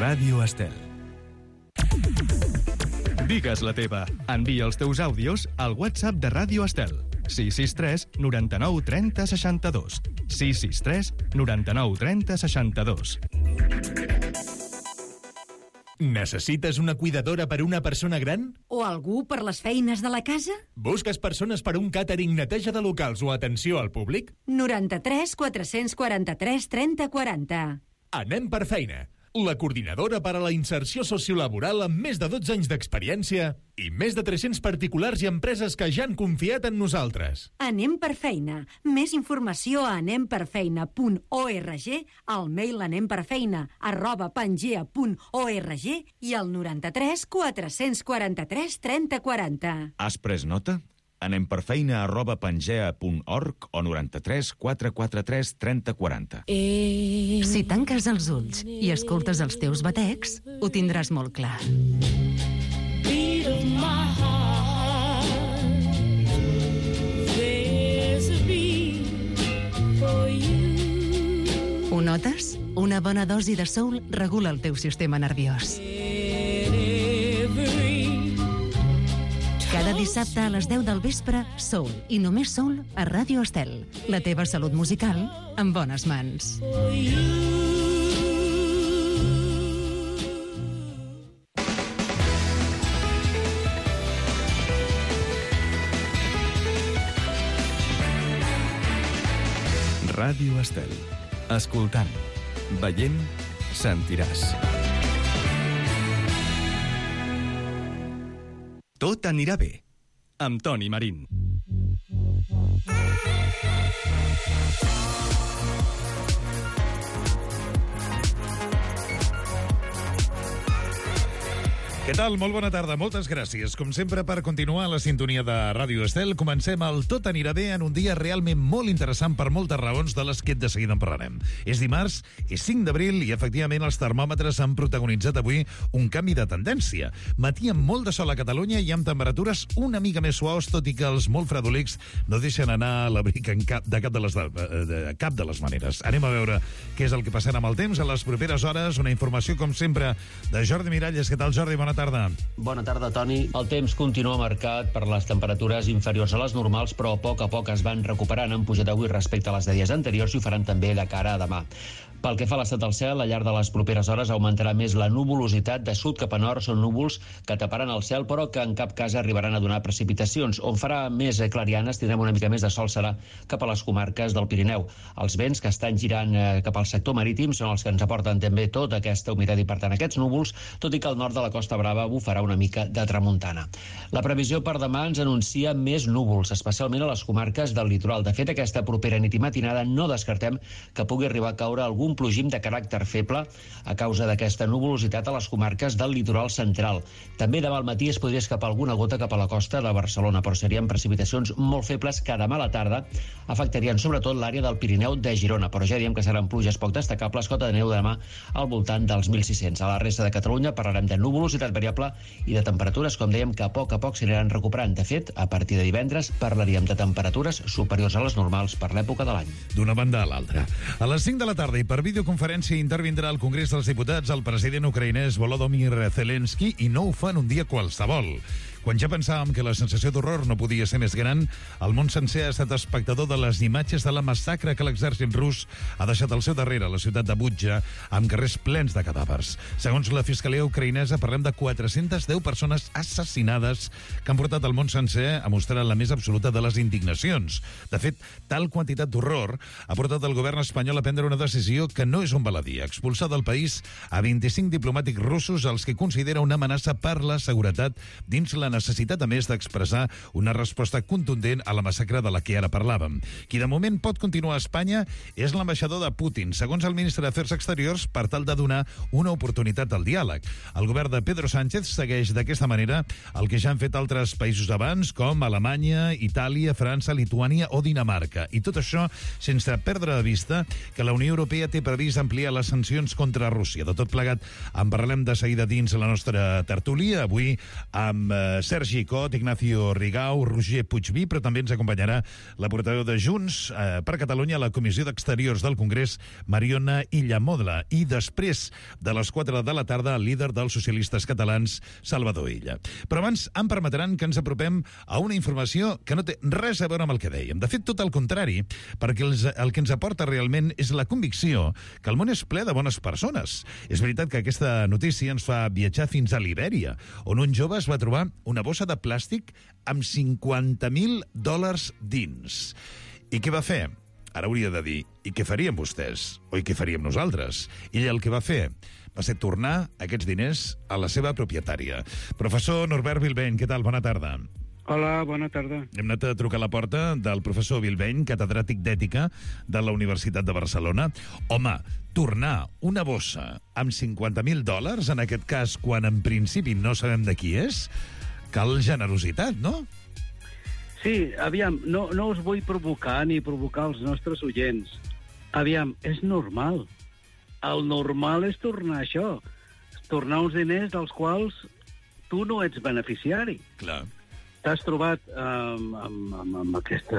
Ràdio Estel. Digues la teva. Envia els teus àudios al WhatsApp de Ràdio Estel. 663 99 30 62. 663 99 30 62. Necessites una cuidadora per una persona gran? O algú per les feines de la casa? Busques persones per un càtering, neteja de locals o atenció al públic? 93 443 30 40. Anem per feina. La coordinadora per a la inserció sociolaboral amb més de 12 anys d'experiència i més de 300 particulars i empreses que ja han confiat en nosaltres. Anem per feina. Més informació a anemperfeina.org, al mail anemperfeina@pangea.org i al 93 443 30 40. Has pres nota? anemperfeina@pangea.org o 93 443 30 40. Si tanques els ulls i escoltes els teus batecs, ho tindràs molt clar. Ho notes? Una bona dosi de soul regula el teu sistema nerviós. Cada dissabte a les 10 del vespre, soul i només soul a Ràdio Estel. La teva salut musical en bones mans. Ràdio Estel. Escoltant, veient, sentiràs. Tot anirà bé, amb Toni Marín. Què tal? Molt bona tarda, moltes gràcies. Com sempre, per continuar la sintonia de Ràdio Estel, comencem el Tot anirà bé en un dia realment molt interessant per moltes raons de les que de seguida en parlarem. És dimarts, és 5 d'abril i efectivament els termòmetres han protagonitzat avui un canvi de tendència. Matí amb molt de sol a Catalunya i amb temperatures una mica més suaus, tot i que els molt fredolics no deixen anar l'abric de cap de les maneres. Anem a veure què és el que passarà amb el temps a les properes hores. Una informació, com sempre, de Jordi Miralles. Què tal, Jordi? Bona tarda. Bona tarda, Toni. El temps continua marcat per les temperatures inferiors a les normals, però a poc es van recuperant. Han pujat avui respecte a les de dies anteriors i ho faran també de cara a demà. Pel que fa a l'estat del cel, al llarg de les properes hores augmentarà més la nuvolositat. De sud cap a nord són núvols que taparan el cel, però que en cap cas arribaran a donar precipitacions. On farà més clarianes, tindrem una mica més de sol, serà cap a les comarques del Pirineu. Els vents que estan girant cap al sector marítim són els que ens aporten també tota aquesta humitat i, per tant, aquests núvols, tot i que al nord de la Costa Brava bufarà una mica de tramuntana. La previsió per demà ens anuncia més núvols, especialment a les comarques del litoral. De fet, aquesta propera nit i matinada no descartem que pugui arribar a caure algun plogim de caràcter feble a causa d'aquesta nuvolositat a les comarques del litoral central. També demà al matí es podria escapar alguna gota cap a la costa de Barcelona, però serien precipitacions molt febles que demà a la tarda afectarien sobretot l'àrea del Pirineu de Girona, però ja diem que seran pluges poc destacables, cota de neu demà al voltant dels 1.600. A la resta de Catalunya parlarem de nuvolositat variable i de temperatures, com dèiem, que a poc s'aniran recuperant. De fet, a partir de divendres parlaríem de temperatures superiors a les normals per l'època de l'any. D'una banda a l'altra. A les 5 de la tarda i per videoconferència intervindrà al Congrés dels Diputats el president ucraïnès Volodymyr Zelensky, i no ho fa en un dia qualsevol. Quan ja pensàvem que la sensació d'horror no podia ser més gran, el món sencer ha estat espectador de les imatges de la massacre que l'exèrcit rus ha deixat al seu darrere a la ciutat de Butja, amb carrers plens de cadàvers. Segons la Fiscalia ucraïnesa, parlem de 410 persones assassinades que han portat el món sencer a mostrar la més absoluta de les indignacions. De fet, tal quantitat d'horror ha portat el govern espanyol a prendre una decisió que no és un baladí: expulsar del país a 25 diplomàtics russos, els que considera una amenaça per la seguretat, dins la necessitat, a més, d'expressar una resposta contundent a la massacre de la que ara parlàvem. Qui de moment pot continuar a Espanya és l'ambaixador de Putin, segons el ministre d'Afers Exteriors, per tal de donar una oportunitat al diàleg. El govern de Pedro Sánchez segueix d'aquesta manera el que ja han fet altres països abans, com Alemanya, Itàlia, França, Lituània o Dinamarca. I tot això sense perdre de vista que la Unió Europea té previst ampliar les sancions contra Rússia. De tot plegat en parlem de seguida dins la nostra tertúlia, avui amb Sergi Cot, Ignacio Rigau, Roger Puigví, però també ens acompanyarà la portaveu de Junts per Catalunya a la Comissió d'Exteriors del Congrés, Mariona Illamodla. I després de les 4 de la tarda, el líder dels socialistes catalans, Salvador Illa. Però abans em permetran que ens apropem a una informació que no té res a veure amb el que dèiem. De fet, tot el contrari, perquè el que ens aporta realment és la convicció que el món és ple de bones persones. És veritat que aquesta notícia ens fa viatjar fins a Libèria, on un jove es va trobar una bossa de plàstic amb $50.000 dins. I què va fer? Ara hauria de dir, i què farien vostès? O i què faríem nosaltres? Ell el que va fer va ser tornar aquests diners a la seva propietària. Professor Norbert Vilbeny, què tal? Bona tarda. Hola, bona tarda. Hem anat a trucar a la porta del professor Vilbeny, catedràtic d'Ètica de la Universitat de Barcelona. Home, tornar una bossa amb $50.000, en aquest cas, quan en principi no sabem de qui és, cal generositat, no? Sí, aviam, no us vull provocar ni provocar els nostres oients. Aviam, és normal. El normal és tornar això. Tornar uns diners dels quals tu no ets beneficiari. Clar. T'has trobat amb aquest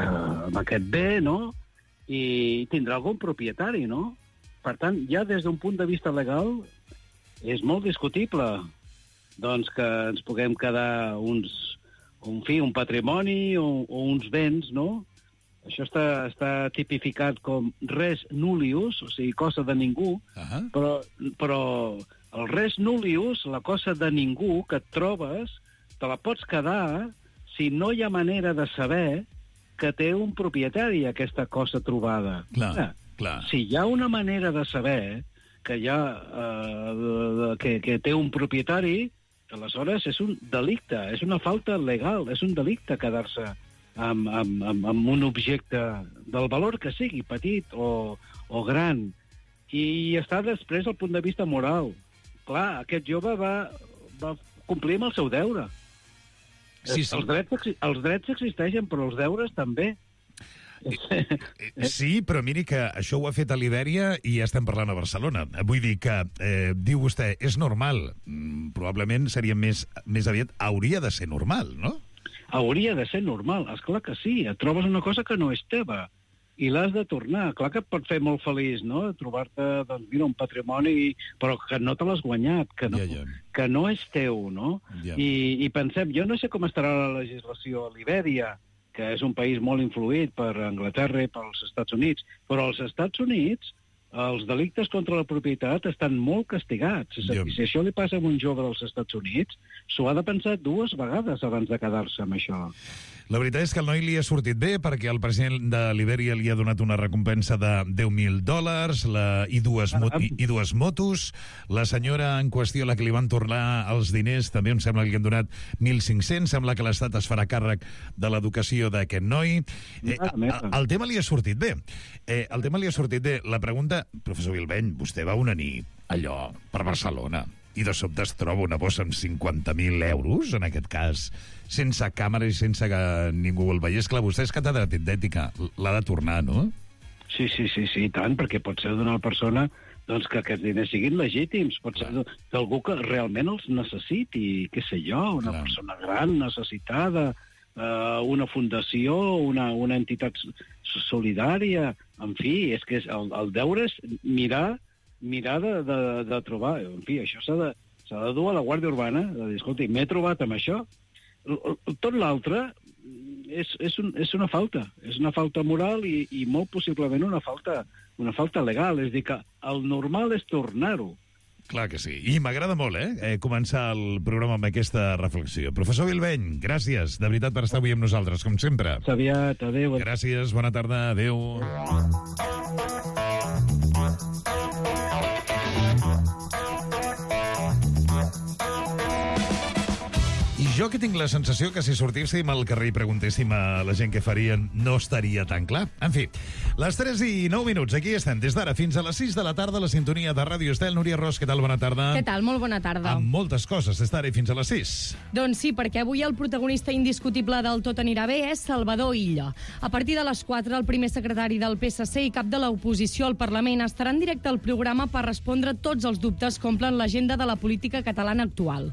bé, no? I tindrà algun propietari, no? Per tant, ja des d'un punt de vista legal és molt discutible doncs que ens puguem quedar un patrimoni o uns béns, no? Això està tipificat com res nullius, o sigui, cosa de ningú, però el res nullius, la cosa de ningú que et trobes, te la pots quedar si no hi ha manera de saber que té un propietari aquesta cosa trobada. Clar. Si hi ha una manera de saber que que té un propietari, aleshores és un delicte, és una falta legal, és un delicte quedar-se amb un objecte del valor que sigui, petit o gran. I està després el punt de vista moral. Clar, aquest jove va complir amb el seu deure. Sí. Els drets existeixen, però els deures també. Sí, però miri que això ho ha fet a Libèria i ja estem parlant a Barcelona. Vull dir que, diu vostè, és normal. Probablement seria més aviat, hauria de ser normal, no? Hauria de ser normal, esclar que sí. Et trobes una cosa que no és teva i l'has de tornar. Clar que et pot fer molt feliç, no?, trobar-te, doncs, mira, un patrimoni, però que no te l'has guanyat, que no és teu, no? I pensem, jo no sé com estarà la legislació a Libèria, que és un país molt influït per Anglaterra i pels Estats Units, però als Estats Units els delictes contra la propietat estan molt castigats. És a dir, si això li passa a un jove dels Estats Units, s'ho ha de pensar 2 vegades abans de quedar-se amb això. La veritat és que el noi li ha sortit bé perquè el president de Libèria li ha donat una recompensa de $10.000 i dues motos. La senyora en qüestió, la que li van tornar els diners, també em sembla que li han donat 1.500. Sembla que l'Estat es farà càrrec de l'educació d'aquest noi. El tema li ha sortit bé. La pregunta, professor Vilbeny, vostè va una nit allò per Barcelona i de sobte es troba una bossa amb €50.000, en aquest cas, sense càmera i sense que ningú el veiés. Clar, vostè és catedràtic d'ètica, l'ha de tornar, no? Sí, tant, perquè pot ser d'una persona doncs, que aquests diners siguin legítims, pot ser d'algú que realment els necessiti, què sé jo, una persona gran, necessitada, una fundació, una entitat solidària, en fi, és que el deure és mirar de trobar, en fi, això s'ha de dur a la Guàrdia Urbana, de dir, escolti, m'he trobat amb això. Tot l'altre és una falta moral i molt possiblement una falta legal, és a dir, que el normal és tornar-ho. Clar que sí, i m'agrada molt, començar el programa amb aquesta reflexió. Professor Vilbeny, gràcies, de veritat, per estar avui amb nosaltres, com sempre. Aviat, adéu. Gràcies, bona tarda, adéu. Jo que tinc la sensació que si sortíssim al carrer i preguntéssim a la gent què farien, no estaria tan clar. En fi, Les 3 i 9 minuts, aquí estem, des d'ara fins a les 6 de la tarda, a la sintonia de Ràdio Estel. Núria Ros, què tal? Bona tarda. Què tal? Molt bona tarda. Amb moltes coses, des d'ara i fins a les 6. Doncs sí, perquè avui el protagonista indiscutible del Tot anirà bé és Salvador Illa. A partir de les 4, el primer secretari del PSC i cap de l'oposició al Parlament estarà en directe al programa per respondre tots els dubtes que omplen l'agenda de la política catalana actual.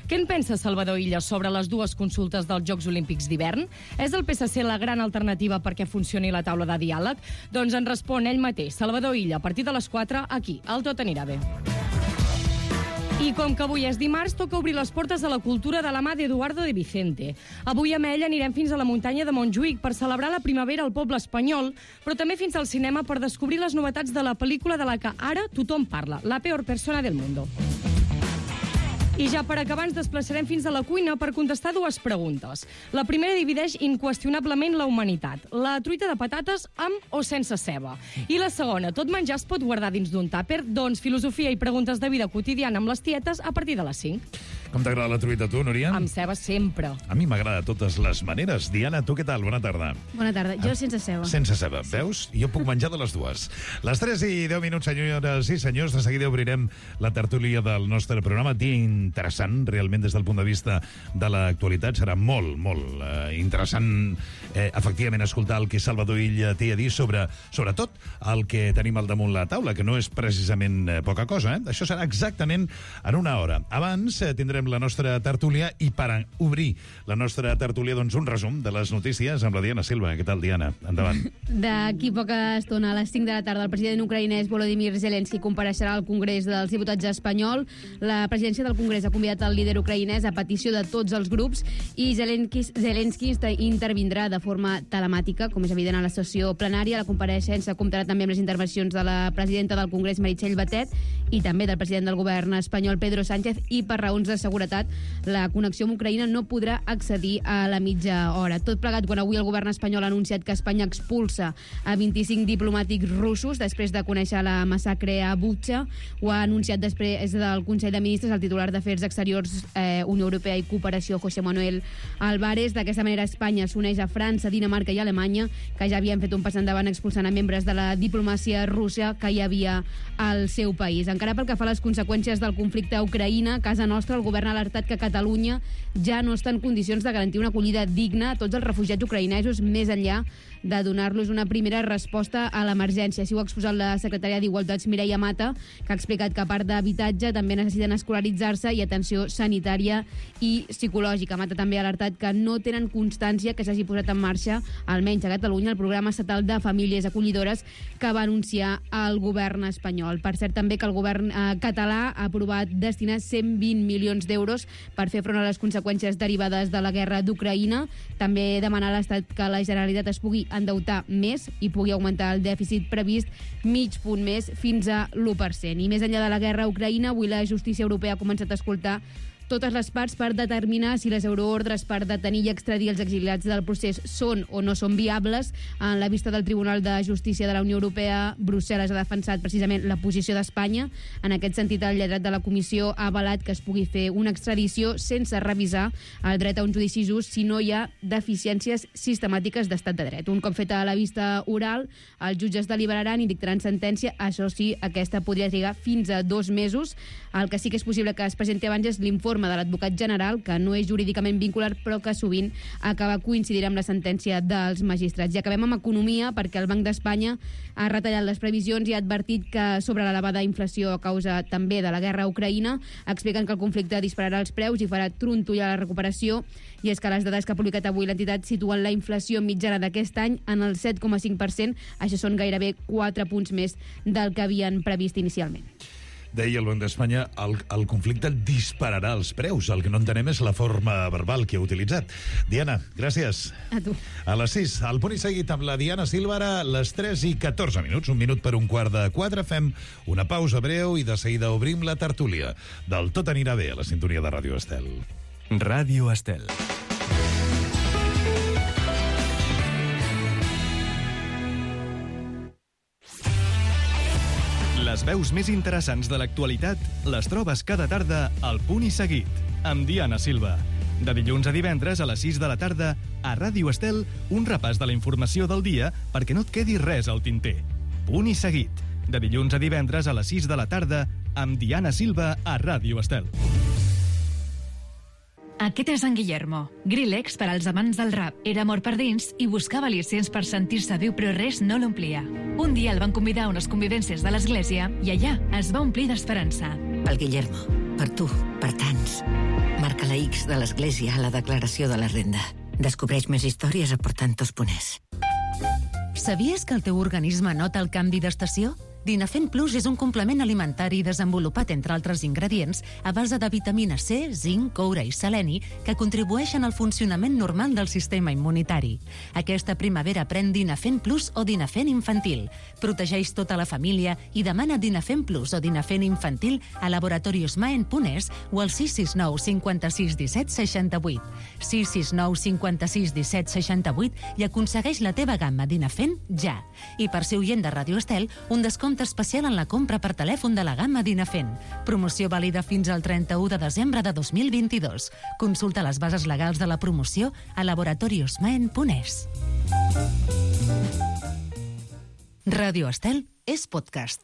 Què en pensa Salvador Illa sobre les dues consultes dels Jocs Olímpics d'hivern? És el PSC la gran alternativa perquè funcioni la taula de diàleg? Doncs en respon ell mateix, Salvador Illa, a partir de les 4, aquí, al Tot anirà bé. I com que avui és dimarts, toca obrir les portes a la cultura de la mà d'Eduardo de Vicente. Avui amb ell anirem fins a la muntanya de Montjuïc per celebrar la primavera al poble espanyol, però també fins al cinema per descobrir les novetats de la pel·lícula de la que ara tothom parla, La peor persona del mundo. I ja per acabar ens desplaçarem fins a la cuina per contestar dues preguntes. La primera divideix inqüestionablement la humanitat. La truita de patates amb o sense ceba. I la segona, tot menjar es pot guardar dins d'un tàper? Doncs filosofia i preguntes de vida quotidiana amb les tietes a partir de les 5. Com t'agrada la truita, tu, Núria? Amb ceba sempre. A mi m'agrada de totes les maneres. Diana, tu què tal? Bona tarda. Bona tarda. Jo sense ceba. Sense ceba. Veus? Jo puc menjar de les dues. Les 3 i 10 minuts, senyores i senyors. De seguida obrirem la tertúlia del nostre programa. Dia interessant, realment, des del punt de vista de l'actualitat. Serà molt interessant, efectivament, escoltar el que Salvador Illa té a dir sobre, sobretot, el que tenim al damunt la taula, que no és precisament poca cosa. Això serà exactament en una hora. Abans tindrem la nostra tertúlia i per obrir la nostra tertúlia, doncs, un resum de les notícies amb la Diana Silva. Què tal, Diana? Endavant. D'aquí poca estona, a les 5 de la tarda, el president ucraïnès Volodymyr Zelensky compareixerà al Congrés dels Diputats espanyol. La presidència del Congrés ha convidat el líder ucraïnès a petició de tots els grups i Zelensky intervindrà de forma telemàtica, com és evident a la sessió plenària. La compareixença comptarà també amb les intervencions de la presidenta del Congrés, Meritxell Batet, i també del president del govern espanyol, Pedro Sánchez, i per raons de seguretat, la connexió amb Ucraïna no podrà accedir a la mitja hora. Tot plegat quan avui el govern espanyol ha anunciat que Espanya expulsa a 25 diplomàtics russos després de conèixer la massacre a Butxa. Ho ha anunciat després del Consell de Ministres el titular d'Afers Exteriors, Unió Europea i Cooperació, José Manuel Álvarez. D'aquesta manera, Espanya s'uneix a França, Dinamarca i Alemanya, que ja havien fet un pas endavant expulsant a membres de la diplomàcia russa que hi havia al seu país. Encara pel que fa a les conseqüències del conflicte a Ucraïna, a casa nostra, el govern ha alertat que Catalunya ja no està en condicions de garantir una acollida digna a tots els refugiats ucraïnesos, més enllà de donar-los una primera resposta a l'emergència. Així ho ha exposat la secretària d'Igualtats, Mireia Mata, que ha explicat que a part d'habitatge també necessiten escolaritzar-se i atenció sanitària i psicològica. Mata també ha alertat que no tenen constància que s'hagi posat en marxa, almenys a Catalunya, el programa estatal de famílies acollidores que va anunciar el govern espanyol. Per cert, també que el govern català ha aprovat destinar 120 milions d'euros per fer front a les conseqüències derivades de la guerra d'Ucraïna. També demanar a l'Estat que la Generalitat es pugui endeutar més i pugui augmentar el dèficit previst mig punt més fins a l'1%. I més enllà de la guerra a Ucraïna, avui la justícia europea ha començat a escoltar totes les parts per determinar si les euroordres per detenir i extradir els exiliats del procés són o no són viables. En la vista del Tribunal de Justícia de la Unió Europea, Brussel·les ha defensat precisament la posició d'Espanya. En aquest sentit, el lletrat de la Comissió ha avalat que es pugui fer una extradició sense revisar el dret a un judici just si no hi ha deficiències sistemàtiques d'estat de dret. Un cop feta la vista oral, els jutges deliberaran i dictaran sentència. Això sí, aquesta podria trigar fins a 2 mesos. El que sí que és possible que es presenti abans és l'informe de l'advocat general, que no és jurídicament vincular, però que sovint acaba coincidirà amb la sentència dels magistrats. I acabem amb economia, perquè el Banc d'Espanya ha retallat les previsions i ha advertit que sobre l'elevada inflació a causa també de la guerra a Ucraïna, expliquen que el conflicte dispararà els preus i farà trontollar la recuperació. I és que les dades que ha publicat avui l'entitat situen la inflació mitjana d'aquest any en el 7,5%. Això són gairebé 4 punts més del que havien previst inicialment. Deia el Banc d'Espanya, el conflicte dispararà els preus. El que no entenem és la forma verbal que ha utilitzat. Diana, gràcies. A tu. A les 6, al punt i seguit amb la Diana Silva, ara les 3 i 14 minuts, 1 minut per 3:15. Fem una pausa breu i de seguida obrim la tertúlia del Tot anirà bé a la sintonia de Ràdio Estel. Ràdio Estel. Les veus més interessants de l'actualitat les trobes cada tarda al Punt i Seguit, amb Diana Silva. De dilluns a divendres a les 6 de la tarda A Ràdio Estel, un repàs de la informació del dia perquè no et quedi res al tinter. Punt i seguit. De dilluns a divendres a les 6 de la tarda amb Diana Silva a Ràdio Estel. Aquest és en Guillermo, Grillex per als amants del rap. Era mort per dins i buscava al·licients per sentir-se viu, però res no l'omplia. Un dia el van convidar a unes convivències de l'església i allà es va omplir d'esperança. Pel Guillermo, per tu, per tants. Marca la X de l'església a la declaració de la renda. Descobreix més històries aportant tos puners. Sabies que el teu organisme nota el canvi d'estació? Dinafen Plus és un complement alimentari desenvolupat, entre altres ingredients, a base de vitamina C, zinc, coure i seleni, que contribueixen al funcionament normal del sistema immunitari. Aquesta primavera pren Dinafen Plus o Dinafen Infantil. Protegeix tota la família i demana Dinafen Plus o Dinafen Infantil a laboratoriosmaen.es o al 669 56 17 68. 669 56 17 68 i aconsegueix la teva gamma Dinafen ja. I per ser oient de Ràdio Estel, un descompte especial en la compra per telèfon de la gamma Dinafen. Promoció vàlida fins al 31 de desembre de 2022. Consulta les bases legals de la promoció a laboratoriosmaen.es. Ràdio Estel és podcast.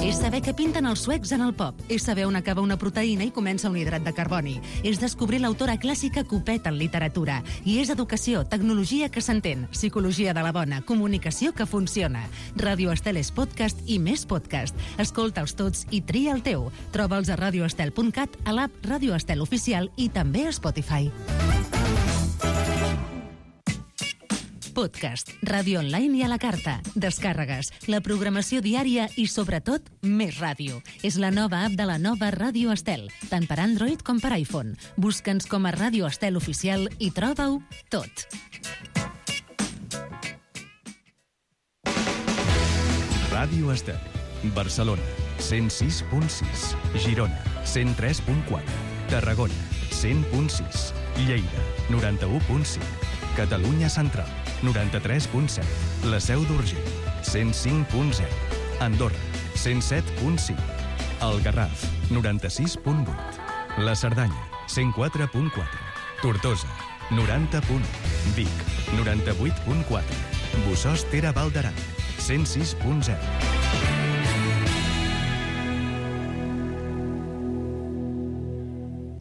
És saber què pinten els suecs en el pop. És saber on acaba una proteïna i comença un hidrat de carboni. És descobrir l'autora clàssica que ho peta en literatura. I és educació, tecnologia que s'entén, psicologia de la bona, comunicació que funciona. Ràdio Estel és podcast i més podcast. Escolta'ls tots i tria el teu. Troba'ls a radioestel.cat, a l'app Ràdio Estel Oficial i també a Spotify. Podcast, ràdio online i a la carta, descàrregues, la programació diària i, sobretot, més ràdio. És la nova app de la nova Ràdio Estel, tant per Android com per iPhone. Busca'ns com a Ràdio Estel Oficial i troba-ho tot. Ràdio Estel, Barcelona, 106.6, Girona, 103.4, Tarragona, 100.6, Lleida, 91.5, Catalunya Central, 93.7, la Seu d'Urgell, 105.0, Andorra, 107.5, el Garraf, 96.8, la Cerdanya, 104.4, Tortosa, 90.1, Vic, 98.4, Bossòst Tere Val d'Aran, 106.0.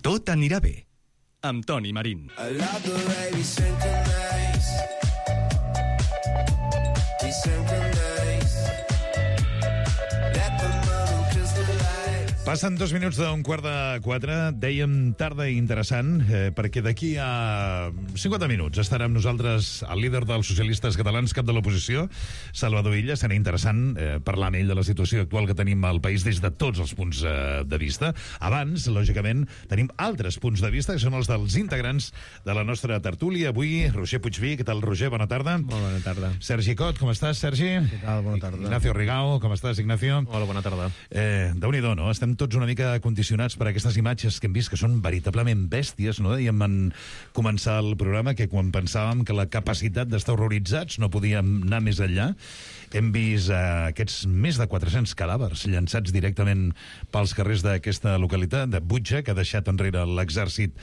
Tot anirà bé, amb Toni Marín. Passen 2 minuts d'un 3:45. Dèiem tarda i interessant, perquè d'aquí a 50 minuts estarà amb nosaltres el líder dels socialistes catalans, cap de l'oposició, Salvador Illa. Serà interessant parlar amb ell de la situació actual que tenim al país des de tots els punts de vista. Abans, lògicament, tenim altres punts de vista, que són els dels integrants de la nostra tertúlia. Avui, Roger Puigví. Què tal, Roger? Bona tarda. Molt bona tarda. Sergi Cot, com estàs, Sergi? Què tal? Bona tarda. Ignacio Rigao, com estàs, Ignacio? Hola, bona tarda. Déu-n'hi-do, no? Estem tots una mica condicionats per aquestes imatges que hem vist, que són veritablement bèsties, no? Dèiem en començar el programa que quan pensàvem que la capacitat d'estar horroritzats no podíem anar més enllà, hem vist aquests més de 400 cadàvers llançats directament pels carrers d'aquesta localitat, de Butxa, que ha deixat enrere l'exèrcit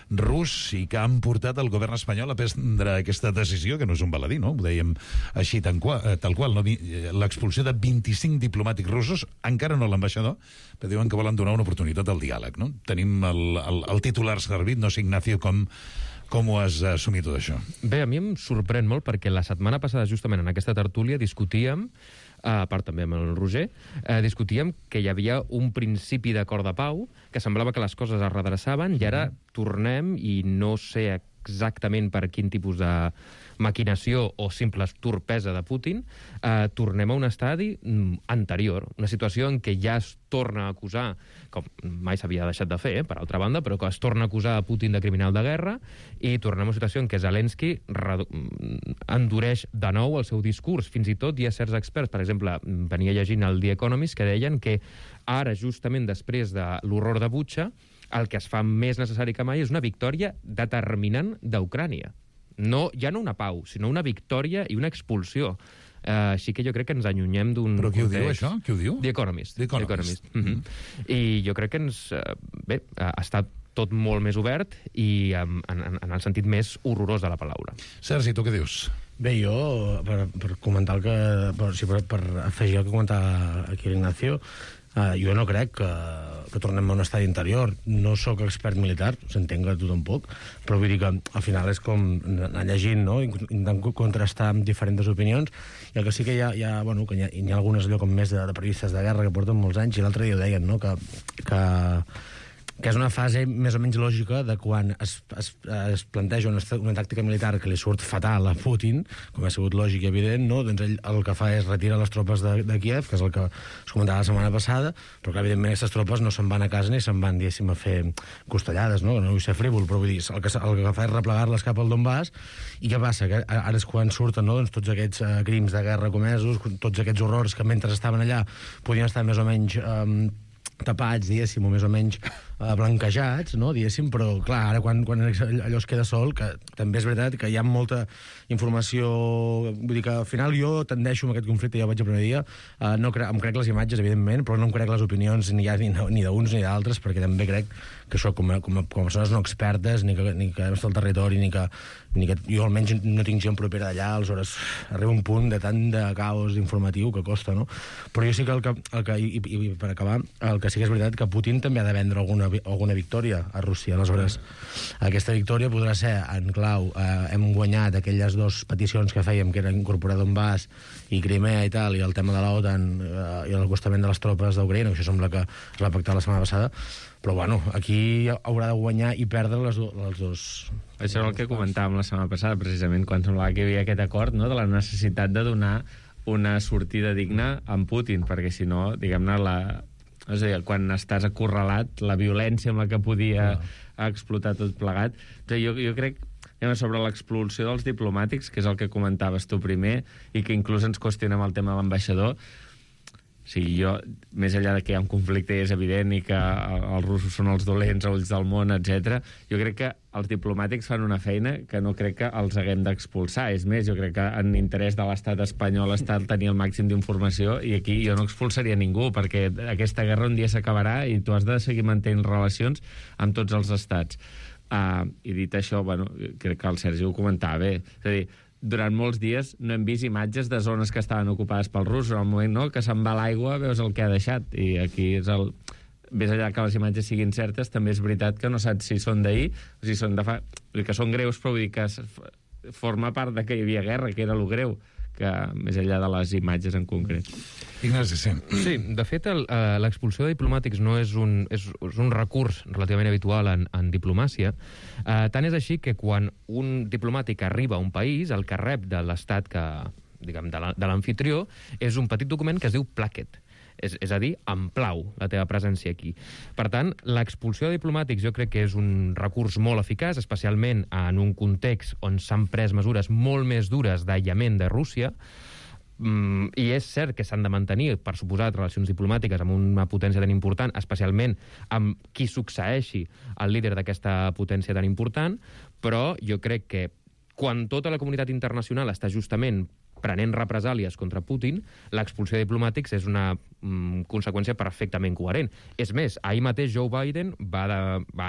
rus i que han portat el govern espanyol a prendre aquesta decisió, que no és un baladí, no? Ho dèiem així tal qual, no? L'expulsió de 25 diplomàtics russos, encara no l'ambaixador, però diuen que volen donar una oportunitat al diàleg, no? Tenim el titular servit, no sé, Ignacio, com ho has assumit tot això? Bé, a mi em sorprèn molt perquè la setmana passada, justament en aquesta tertúlia, discutíem, a part també amb el Roger, discutíem que hi havia un principi d'acord de pau, que semblava que les coses es redreçaven, i ara tornem, i no sé exactament per quin tipus de maquinació o simple torpesa de Putin, tornem a un estadi anterior, una situació en què ja es torna a acusar, com mai s'havia deixat de fer, per altra banda, però que es torna a acusar a Putin de criminal de guerra, i tornem a una situació en què Zelensky endureix de nou el seu discurs. Fins i tot hi ha certs experts, per exemple, venia llegint el The Economist, que deien que ara, justament després de l'horror de Butxa, el que es fa més necessari que mai és una victòria determinant d'Ucrània. No, ja no una pau, sinó una victòria i una expulsió. Així que jo crec que ens allunyem d'un... Però qui ho diu, això? Qui ho diu? The Economist. The Economist. I jo crec que ens... Bé, està tot molt més obert i en el sentit més horrorós de la paraula. Sergi, tu què dius? Bé, jo, per comentar el que... Per afegir el que comentava aquí l'Ignacio, jo no crec que tornem a un estadi interior. No sóc expert militar, s'entén que tu tampoc, però vull dir que al final és com anar llegint, no? Intentant contrastar amb diferents opinions, i el que sí que hi ha algunes allò com més de periodistes de guerra que porten molts anys, i l'altre dia ho deien, no? Que és una fase més o menys lògica de quan es planteja una tàctica militar que li surt fatal a Putin, com ha sigut lògic i evident, no? Doncs ell el que fa és retirar les tropes de Kiev, que és el que es comentava la setmana passada, però que evidentment aquestes tropes no se'n van a casa ni se'n van, diguéssim, a fer costellades, no? No vull ser frívol, però vull dir, el que fa és replegar-les cap al Donbass. I què passa? Que ara és quan surten, no? Doncs tots aquests crims de guerra comesos, tots aquests horrors que mentre estaven allà podien estar més o menys tapats, diguéssim, o més o menys blanquejats, no, diguéssim, però clar, ara quan allò es queda sol, que també és veritat que hi ha molta informació, vull dir que al final jo tendeixo amb aquest conflicte, ja ho vaig el primer dia, em crec les imatges, evidentment, però no em crec les opinions ni d'uns ni d'altres, perquè també crec que això, com a persones no expertes, ni que hem estat al territori, ni que jo almenys no tinc gent propera d'allà, aleshores arriba un punt de tant de caos informatiu que costa, no? Però jo sí que i per acabar, el que sí que és veritat que Putin també ha de vendre alguna victòria a Rússia. Aleshores, aquesta victòria podrà ser en clau, hem guanyat aquelles dues peticions que fèiem, que era incorporar Donbass i Crimea i tal, i el tema de l'OTAN i l'acostament de les tropes d'Ucraïna, que això sembla que es va pactar la setmana passada, però bueno, aquí haurà de guanyar i perdre els dos. Això és el que comentàvem la setmana passada, precisament, quan semblava que hi havia aquest acord, no?, de la necessitat de donar una sortida digna amb Putin, perquè si no, diguem-ne, és a dir, quan estàs acorralat, la violència amb la que podia explotar tot plegat. Jo crec, sobre l'expulsió dels diplomàtics, que és el que comentaves tu primer, i que inclús ens qüestionem el tema de l'ambaixador. O sigui, jo, més enllà de que hi ha un conflicte i és evident i que els russos són els dolents a ulls del món, etc., jo crec que els diplomàtics fan una feina que no crec que els haguem d'expulsar. És més, jo crec que en interès de l'estat espanyol està tenir el màxim d'informació, i aquí jo no expulsaria ningú, perquè aquesta guerra un dia s'acabarà i tu has de seguir mantenint relacions amb tots els estats. I dit això, bueno, crec que el Sergi ho comentava bé. És a dir, durant molts dies no hem vist imatges de zones que estaven ocupades pels russos. Al moment, no?, que se'n va l'aigua, veus el que ha deixat. I aquí és el... Més enllà que les imatges siguin certes, també és veritat que no saps si són d'ahir o si són de fa... Vull dir que són greus, però vull dir que forma part de que hi havia guerra, que era lo greu, que més enllà de les imatges en concret. Ignasi, sí. Sí, de fet, l'expulsió de diplomàtics no és un recurs relativament habitual en diplomàcia. Tant és així que quan un diplomàtic arriba a un país, el que rep de l'estat diguem, de l'amfitrió, és un petit document que es diu plaquet. És a dir, em plau la teva presència aquí. Per tant, l'expulsió de diplomàtics jo crec que és un recurs molt eficaç, especialment en un context on s'han pres mesures molt més dures d'aïllament de Rússia, i és cert que s'han de mantenir, per suposat, relacions diplomàtiques amb una potència tan important, especialment amb qui succeeixi el líder d'aquesta potència tan important, però jo crec que quan tota la comunitat internacional està justament prenent represàlies contra Putin, l'expulsió de diplomàtics és una conseqüència perfectament coherent. És més, ahir mateix Joe Biden va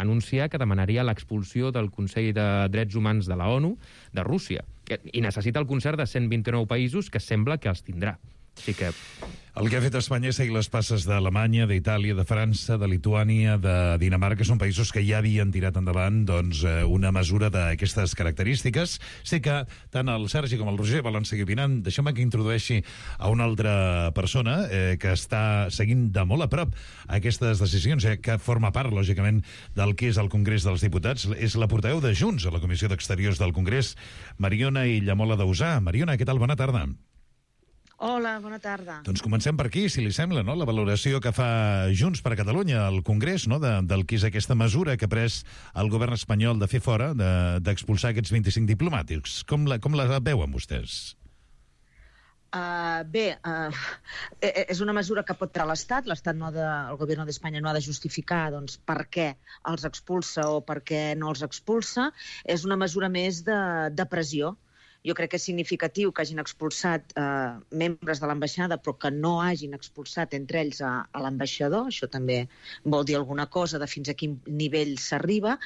anunciar que demanaria l'expulsió del Consell de Drets Humans de la ONU de Rússia, i necessita el concert de 129 països, que sembla que els tindrà. Així que... El que ha fet Espanya és seguir les passes d'Alemanya, d'Itàlia, de França, de Lituània, de Dinamarca. Són països que ja havien tirat endavant una mesura d'aquestes característiques. Sé que tant el Sergi com el Roger volen seguir opinant. Deixeu-me que introdueixi a una altra persona que està seguint de molt a prop aquestes decisions, que forma part, lògicament, del que és el Congrés dels Diputats. És la portaveu de Junts a la Comissió d'Exteriors del Congrés, Mariona Illamola d'Usà. Mariona, què tal? Bona tarda. Hola, bona tarda. Doncs comencem per aquí, si li sembla, no?, la valoració que fa Junts per Catalunya al Congrés, no?, del que és aquesta mesura que ha pres el govern espanyol de fer fora, d'expulsar aquests 25 diplomàtics. Com la veuen vostès? És una mesura que pot treure l'Estat. El govern d'Espanya no ha de justificar per què els expulsa o per què no els expulsa. És una mesura més de pressió. Jo crec que és significatiu que hagin expulsat membres de l'ambaixada, però que no hagin expulsat entre ells a l'ambaixador. Això també vol dir alguna cosa de fins a quin nivell s'arriba,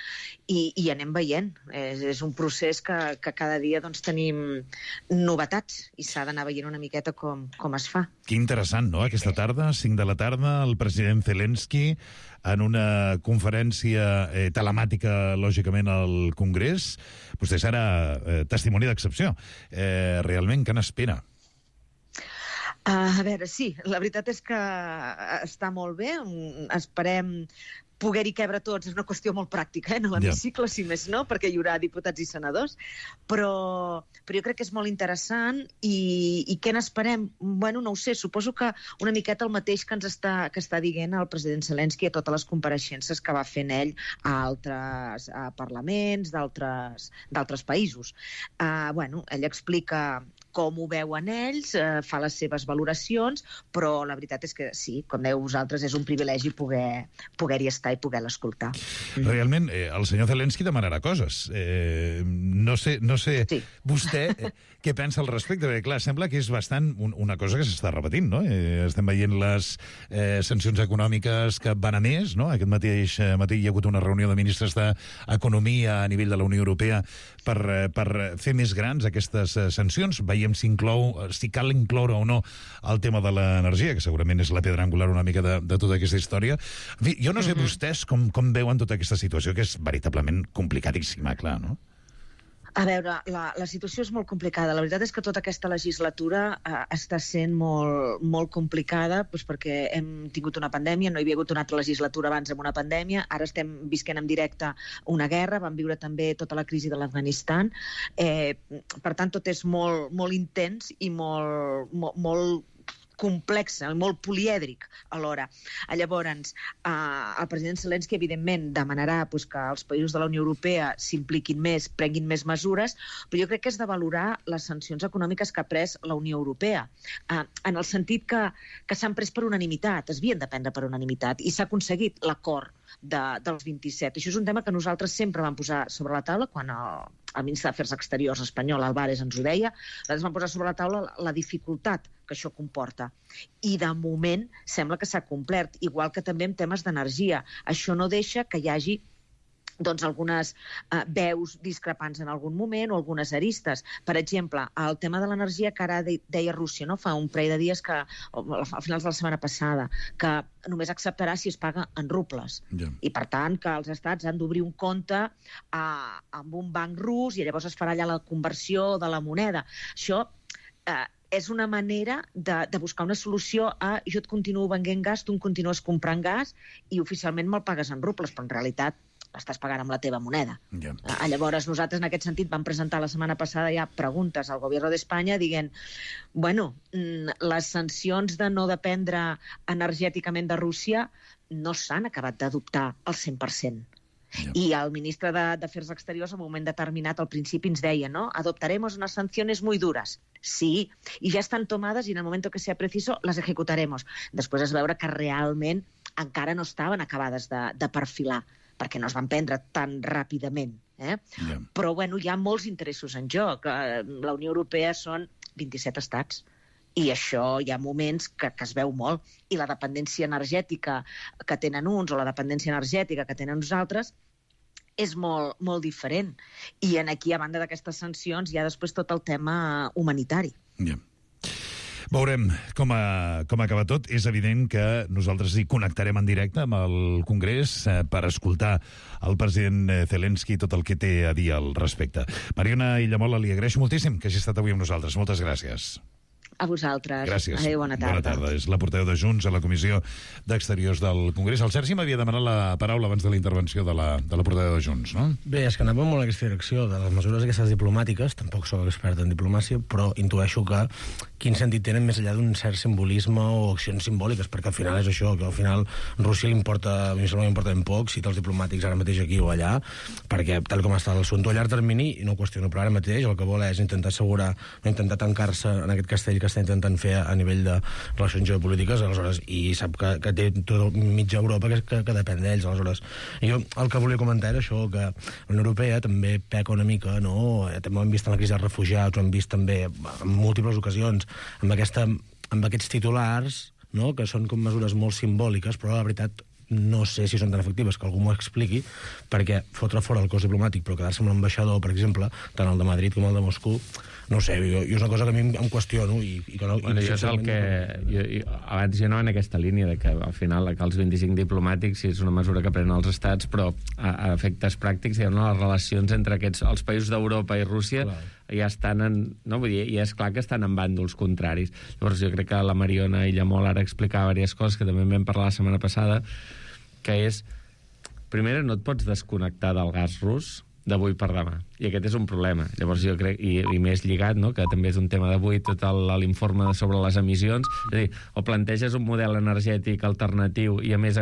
i anem veient. És un procés que cada dia doncs, tenim novetats i s'ha d'anar veient una miqueta com es fa. Que interessant, no?, aquesta tarda, 5 de la tarda, el president Zelensky en una conferència telemàtica, lògicament, al Congrés. Vostè serà testimoni d'excepció. Realment, què n'espera? A veure, sí, la veritat és que està molt bé. Esperem poder-hi cabre tots. És una qüestió molt pràctica, en l'hemicicle, si més no, perquè hi haurà diputats i senadors, però jo crec que és molt interessant. I què n'esperem? Bueno, no ho sé, suposo que una miqueta el mateix que està dient el president Zelensky a totes les compareixences que va fent ell a altres parlaments d'altres països. Bueno, ell explica com ho veuen ells, fa les seves valoracions, però la veritat és que sí, com dèieu vosaltres, és un privilegi poder-hi estar i poder l'escoltar. Realment, el senyor Zelensky demanarà coses. No sé sí. Vostè què pensa al respecte? Perquè, clar, sembla que és bastant una cosa que s'està repetint, no? Estem veient les sancions econòmiques que van a més, no? Aquest mateix matí hi ha hagut una reunió de ministres d'Economia a nivell de la Unió Europea per fer més grans aquestes sancions. Veiem si cal incloure o no el tema de l'energia, que segurament és la pedra angular una mica de tota aquesta història. En fi, jo no sé vostès com veuen tota aquesta situació, que és veritablement complicadíssima, clar, no? A veure, la situació és molt complicada. La veritat és que tota aquesta legislatura està sent molt complicada, doncs perquè hem tingut una pandèmia, no hi havia hagut una altra legislatura abans amb una pandèmia, ara estem visquent en directe una guerra, vam viure també tota la crisi de l'Afganistan. Per tant, tot és molt intens i molt complex, molt polièdric alhora. Llavors, el president Zelensky, evidentment, demanarà que els països de la Unió Europea s'impliquin més, prenguin més mesures, però jo crec que és de valorar les sancions econòmiques que ha pres la Unió Europea, en el sentit que s'han pres per unanimitat, es havien de prendre per unanimitat, i s'ha aconseguit l'acord dels 27. Això és un tema que nosaltres sempre vam posar sobre la taula quan el ministre d'Afers Exteriors espanyol, Álvarez, ens ho deia. Nosaltres vam posar sobre la taula la dificultat que això comporta. I de moment sembla que s'ha complert, igual que també en temes d'energia. Això no deixa que hi hagi algunes veus discrepants en algun moment o algunes aristes. Per exemple, el tema de l'energia que ara deia Rússia, no? Fa un parell de dies, a finals de la setmana passada, que només acceptarà si es paga en rubles. I per tant que els estats han d'obrir un compte amb un banc rus i llavors es farà allà la conversió de la moneda. Això és una manera de buscar una solució a jo et continuo venent gas, tu em continues comprant gas i oficialment me'l pagues en rubles, però en realitat l'estàs pagant amb la teva moneda. Llavors, nosaltres en aquest sentit vam presentar la setmana passada ja preguntes al govern d'Espanya dient, bueno, les sancions de no dependre energèticament de Rússia no s'han acabat d'adoptar al 100%. I el ministre d'Afers Exteriors en un moment determinat al principi ens deia, ¿no? Adoptaremos unas sanciones muy duras. Sí, y ya están tomadas y en el momento que sea preciso las ejecutaremos. Després es veure que realment encara no estaven acabades de perfilar, perquè no es van prendre tan ràpidament. Però, bueno, hi ha molts interessos en joc. La Unió Europea són 27 estats. I això hi ha moments que es veu molt. I la dependència energètica que tenen uns o la dependència energètica que tenen uns altres és molt diferent. I aquí, a banda d'aquestes sancions, hi ha després tot el tema humanitari. Veurem com acaba tot. És evident que nosaltres hi connectarem en directe amb el Congrés per escoltar el president Zelensky tot el que té a dir al respecte. Mariona Illamola, li agraeixo moltíssim que hagi estat avui amb nosaltres. Moltes gràcies. A vosaltres. Gràcies. Adéu, bona tarda. Bona tarda. És la portaveu de Junts a la Comissió d'Exteriors del Congrés. El Sergi m'havia demanat la paraula abans de la intervenció de la portaveu de Junts, no? Bé, és que anava molt en aquesta direcció de les mesures aquestes diplomàtiques. Tampoc soc expert en diplomàcia, però intueixo que quin sentit tenen més enllà d'un cert simbolisme o accions simbòliques, perquè al final és això, que al final Rússia li importa, a mi sembla que m'importa ben poc citar els diplomàtics ara mateix aquí o allà, perquè tal com està l'assumpte a llarg termini, i no ho qüestiono, però ara mateix el que vol és intentar assegurar, no intentar tancar-se en aquest castell que està intentant fer a nivell de relacions geopolítiques, aleshores, i sap que té tot mitja Europa que depèn d'ells, aleshores. Jo el que volia comentar era això, que la Unió Europea també peca una mica, no? També ho hem vist en la crisi dels refugiats, ho hem vist també en múltiples ocasions, amb aquests titulars, no? Que són com mesures molt simbòliques, però la veritat no sé si són tan efectives, que algú m'ho expliqui, perquè fotre fora el cos diplomàtic però quedar-se amb l'ambaixador, per exemple, tant el de Madrid com el de Moscou, no sé, jo és una cosa que a mi em qüestiono i que no... Bueno, jo és el que... abans jo no en aquesta línia, de que al final que els 25 diplomàtics sí, és una mesura que prenen els estats, però a efectes pràctics, les relacions entre els països d'Europa i Rússia ja estan no, vull dir, ja és clar que estan en bàndols contraris. Llavors jo crec que la Mariona Illamol ara explicava diverses coses que també vam parlar la setmana passada, que és, primera, no et pots desconnectar del gas rus d'avui per demà, i aquest és un problema. Llavors jo crec, i més lligat, no?, que també és un tema d'avui, tot l'informe sobre les emissions, és a dir, o planteges un model energètic alternatiu i a més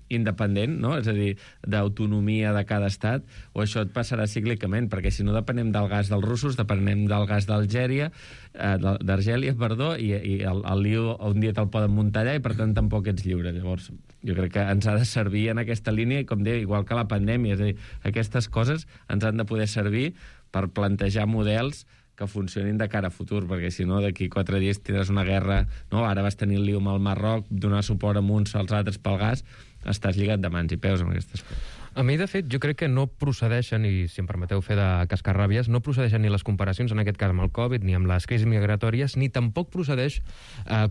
independent, no?, és a dir, d'autonomia de cada estat, o això et passarà cíclicament, perquè si no depenem del gas dels russos, depenem del gas d'Argèlia, i el lío un dia te'l poden muntar allà i per tant tampoc ets lliure. Llavors jo crec que ens ha de servir en aquesta línia, i com deia, igual que la pandèmia, és a dir, aquestes coses ens han de poder servir per plantejar models que funcionin de cara a futur, perquè si no d'aquí 4 dies tindràs una guerra, no? Ara vas tenir el lío amb el Marroc, donar suport a uns als altres pel gas, estàs lligat de mans i peus amb aquestes coses. A mi, de fet, jo crec que no procedeixen, i si em permeteu fer de cascarràbies, no procedeixen ni les comparacions, en aquest cas amb el Covid, ni amb les crisis migratòries, ni tampoc procedeix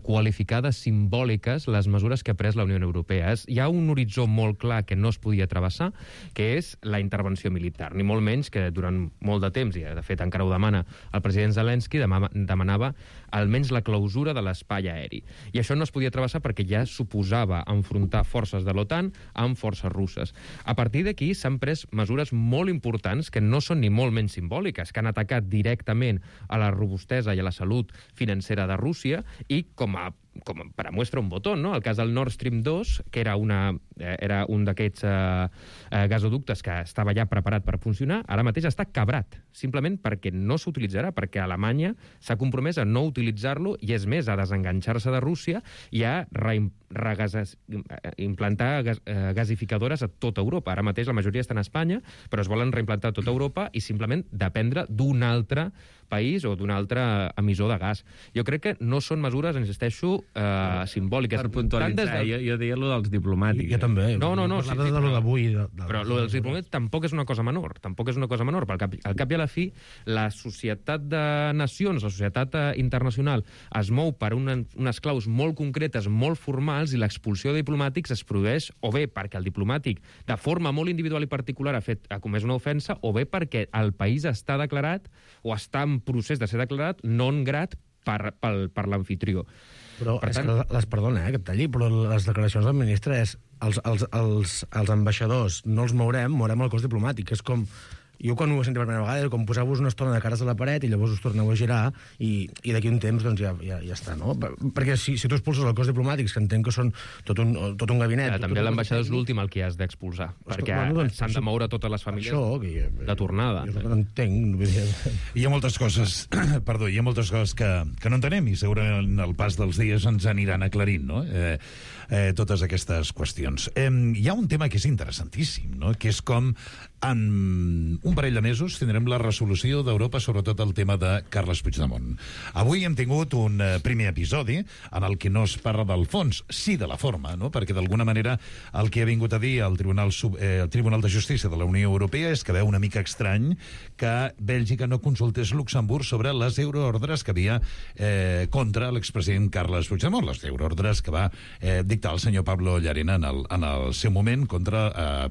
qualificar de simbòliques les mesures que ha pres la Unió Europea. Hi ha un horitzó molt clar que no es podia travessar, que és la intervenció militar, ni molt menys que durant molt de temps, i de fet encara ho demana el president Zelensky, demanava almenys la clausura de l'espai aeri. I això no es podia travessar perquè ja suposava enfrontar forces de l'OTAN amb forces russes. A partir d'aquí s'han pres mesures molt importants que no són ni molt menys simbòliques, que han atacat directament a la robustesa i a la salut financera de Rússia i com per a muestra un botó, no? El cas del Nord Stream 2, que era un d'aquests gasoductes que estava ja preparat per funcionar, ara mateix està cabrat, simplement perquè no s'utilitzarà, perquè Alemanya s'ha compromès a no utilitzar-lo i, és més, a desenganxar-se de Rússia i a implantar gasificadores a tota Europa. Ara mateix la majoria estan a Espanya, però es volen reimplantar a tota Europa i simplement dependre d'un altre país o d'un altre emissor de gas. Jo crec que no són mesures, insisteixo, simbòliques. Per puntualitzar, jo deia allò dels diplomàtics. Jo també. No, parlava de lo d'avui. Però allò dels diplomàtics tampoc és una cosa menor. Tampoc és una cosa menor, perquè al cap i a la fi la societat de nacions, la societat internacional, es mou per unes claus molt concretes, molt formals, i l'expulsió de diplomàtics es produeix o bé perquè el diplomàtic, de forma molt individual i particular, ha comès una ofensa, o bé perquè el país està declarat o està en procés de ser declarat non grat per l'amfitrió. Però, perdona, que et talli, però les declaracions del ministre és els ambaixadors no els mourem el cos diplomàtic. És com... Jo quan ho he sentit per primera vegada, com posar-vos una estona de cares a la paret i llavors us torneu a girar i d'aquí un temps doncs ja està, no? Perquè si tu expulses el cos diplomàtics, que entenc que són tot un gabinet... També l'ambaixador és l'últim al que has d'expulsar, perquè s'han de moure totes les famílies de tornada. Jo no entenc. Hi ha moltes coses, hi ha moltes coses que no entenem i segurament el pas dels dies ens aniran aclarint, no? Totes aquestes qüestions. Hi ha un tema que és interessantíssim, no? Que és com en un parell de mesos tindrem la resolució d'Europa sobre tot el tema de Carles Puigdemont. Avui hem tingut un primer episodi en el que no es parla del fons, sí de la forma, no? Perquè d'alguna manera el que ha vingut a dir el Tribunal de Justícia de la Unió Europea és que veu una mica estrany que Bèlgica no consultés Luxemburg sobre les euroordres que havia contra l'expresident Carles Puigdemont, les euroordres que va dictar el senyor Pablo Llarena en el seu moment contra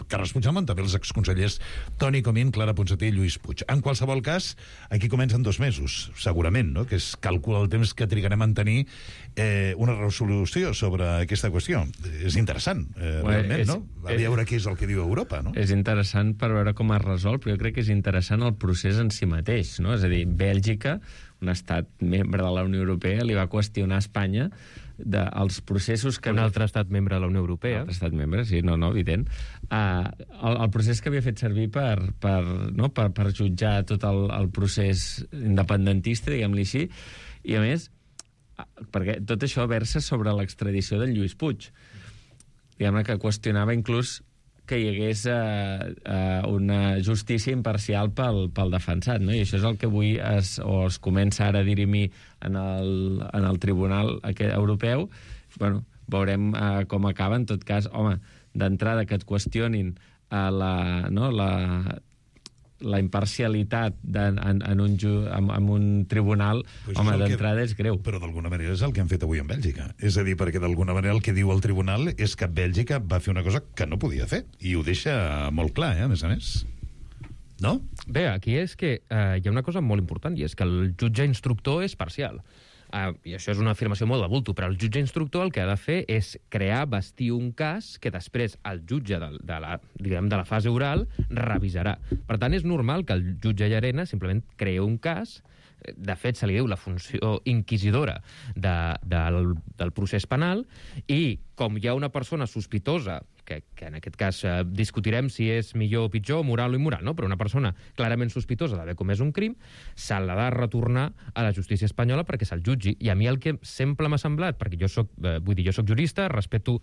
Carles Puigdemont, també els exconsellers Toni Comín, Clara Ponsatí i Lluís Puig. En qualsevol cas, aquí comencen 2 mesos, segurament, no? Que es calcula el temps que trigarem a tenir una resolució sobre aquesta qüestió. És interessant, realment, no? A veure què és el que diu Europa, no? És interessant per veure com es resol, però jo crec que és interessant el procés en si mateix, no? És a dir, Bèlgica, un estat membre de la Unió Europea, li va qüestionar a Espanya dels processos que... Un altre estat membre de la Unió Europea. Un altre estat membre, sí, no, evident. El procés que havia fet servir per jutjar tot el procés independentista, diguem-li així, i a més perquè tot això versa sobre l'extradició del Lluís Puig. Diguem-ne que qüestionava inclús que hi hagués una justícia imparcial pel defensat, no? I això és el que avui es comença ara a dirimir en el Tribunal Europeu. Bueno, veurem com acaba. En tot cas, home, d'entrada que et qüestionin la imparcialitat en un tribunal, home, d'entrada és greu. Però d'alguna manera és el que han fet avui en Bèlgica. És a dir, perquè d'alguna manera el que diu el tribunal és que Bèlgica va fer una cosa que no podia fer. I ho deixa molt clar, a més a més. No? Bé, aquí és que hi ha una cosa molt important, i és que el jutge instructor és parcial. I això és una afirmació molt de bulto, però el jutge instructor el que ha de fer és vestir un cas que després el jutge de la fase oral revisarà. Per tant, és normal que el jutge Llarena simplement creï un cas. De fet, se li diu la funció inquisidora del procés penal, i com hi ha una persona sospitosa, que en aquest cas discutirem si és millor o pitjor, moral o immoral, no? Però una persona clarament sospitosa d'haver comès un crim, se l'ha de retornar a la justícia espanyola perquè se'l jutgi. I a mi el que sempre m'ha semblat, perquè jo soc jurista, respeto,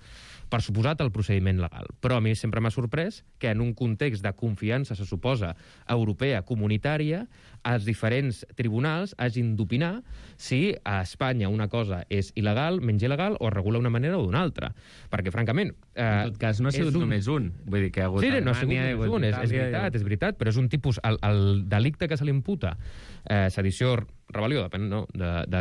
per suposat, el procediment legal, però a mi sempre m'ha sorprès que en un context de confiança, se suposa, europea, comunitària, els diferents tribunals hagin d'opinar si a Espanya una cosa és il·legal, menys il·legal, o es regula d'una manera o d'una altra. Perquè, francament... En tot cas, no ha sigut només un. Vull dir que hi ha hagut no ha sigut només un, és veritat, però és un tipus... El delicte que se li imputa, sedició, rebel·lió, depèn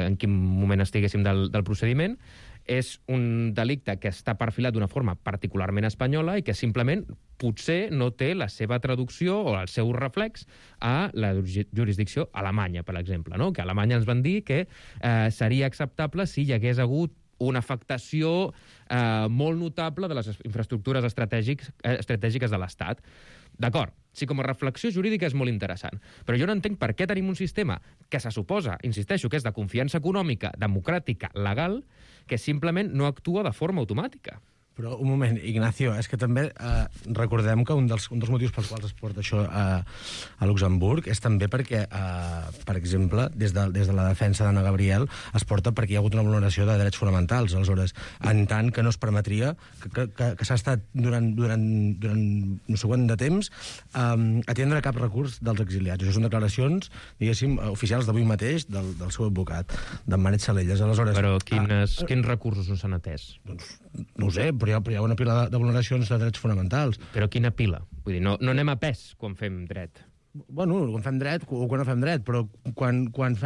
en quin moment estiguéssim del procediment, és un delicte que està perfilat d'una forma particularment espanyola i que simplement potser no té la seva traducció o el seu reflex a la jurisdicció alemanya, per exemple, no? Que a Alemanya ens van dir que seria acceptable si hi hagués hagut una afectació molt notable de les infraestructures estratègiques de l'Estat. D'acord, sí, com a reflexió jurídica és molt interessant, però jo no entenc per què tenim un sistema que se suposa, insisteixo, que és de confiança econòmica, democràtica, legal, que simplement no actua de forma automàtica. Però, un moment, Ignacio, és que també recordem que un dels motius pels quals es porta això a Luxemburg és també perquè, per exemple, des de la defensa d'Anna Gabriel es porta perquè hi ha hagut una vulneració de drets fonamentals. Aleshores, en tant que no es permetria que s'ha estat durant no sé quant de temps atendre cap recurs dels exiliats. Això són declaracions, diguéssim, oficials d'avui mateix del seu advocat, d'en Manet Salelles. Aleshores, però quins recursos no s'han atès? Doncs no ho sé, però hi ha una pila de vulneracions de drets fonamentals. Però quina pila? Vull dir, no anem a pes quan fem dret. Bueno, quan fem dret o quan no fem dret, però quan els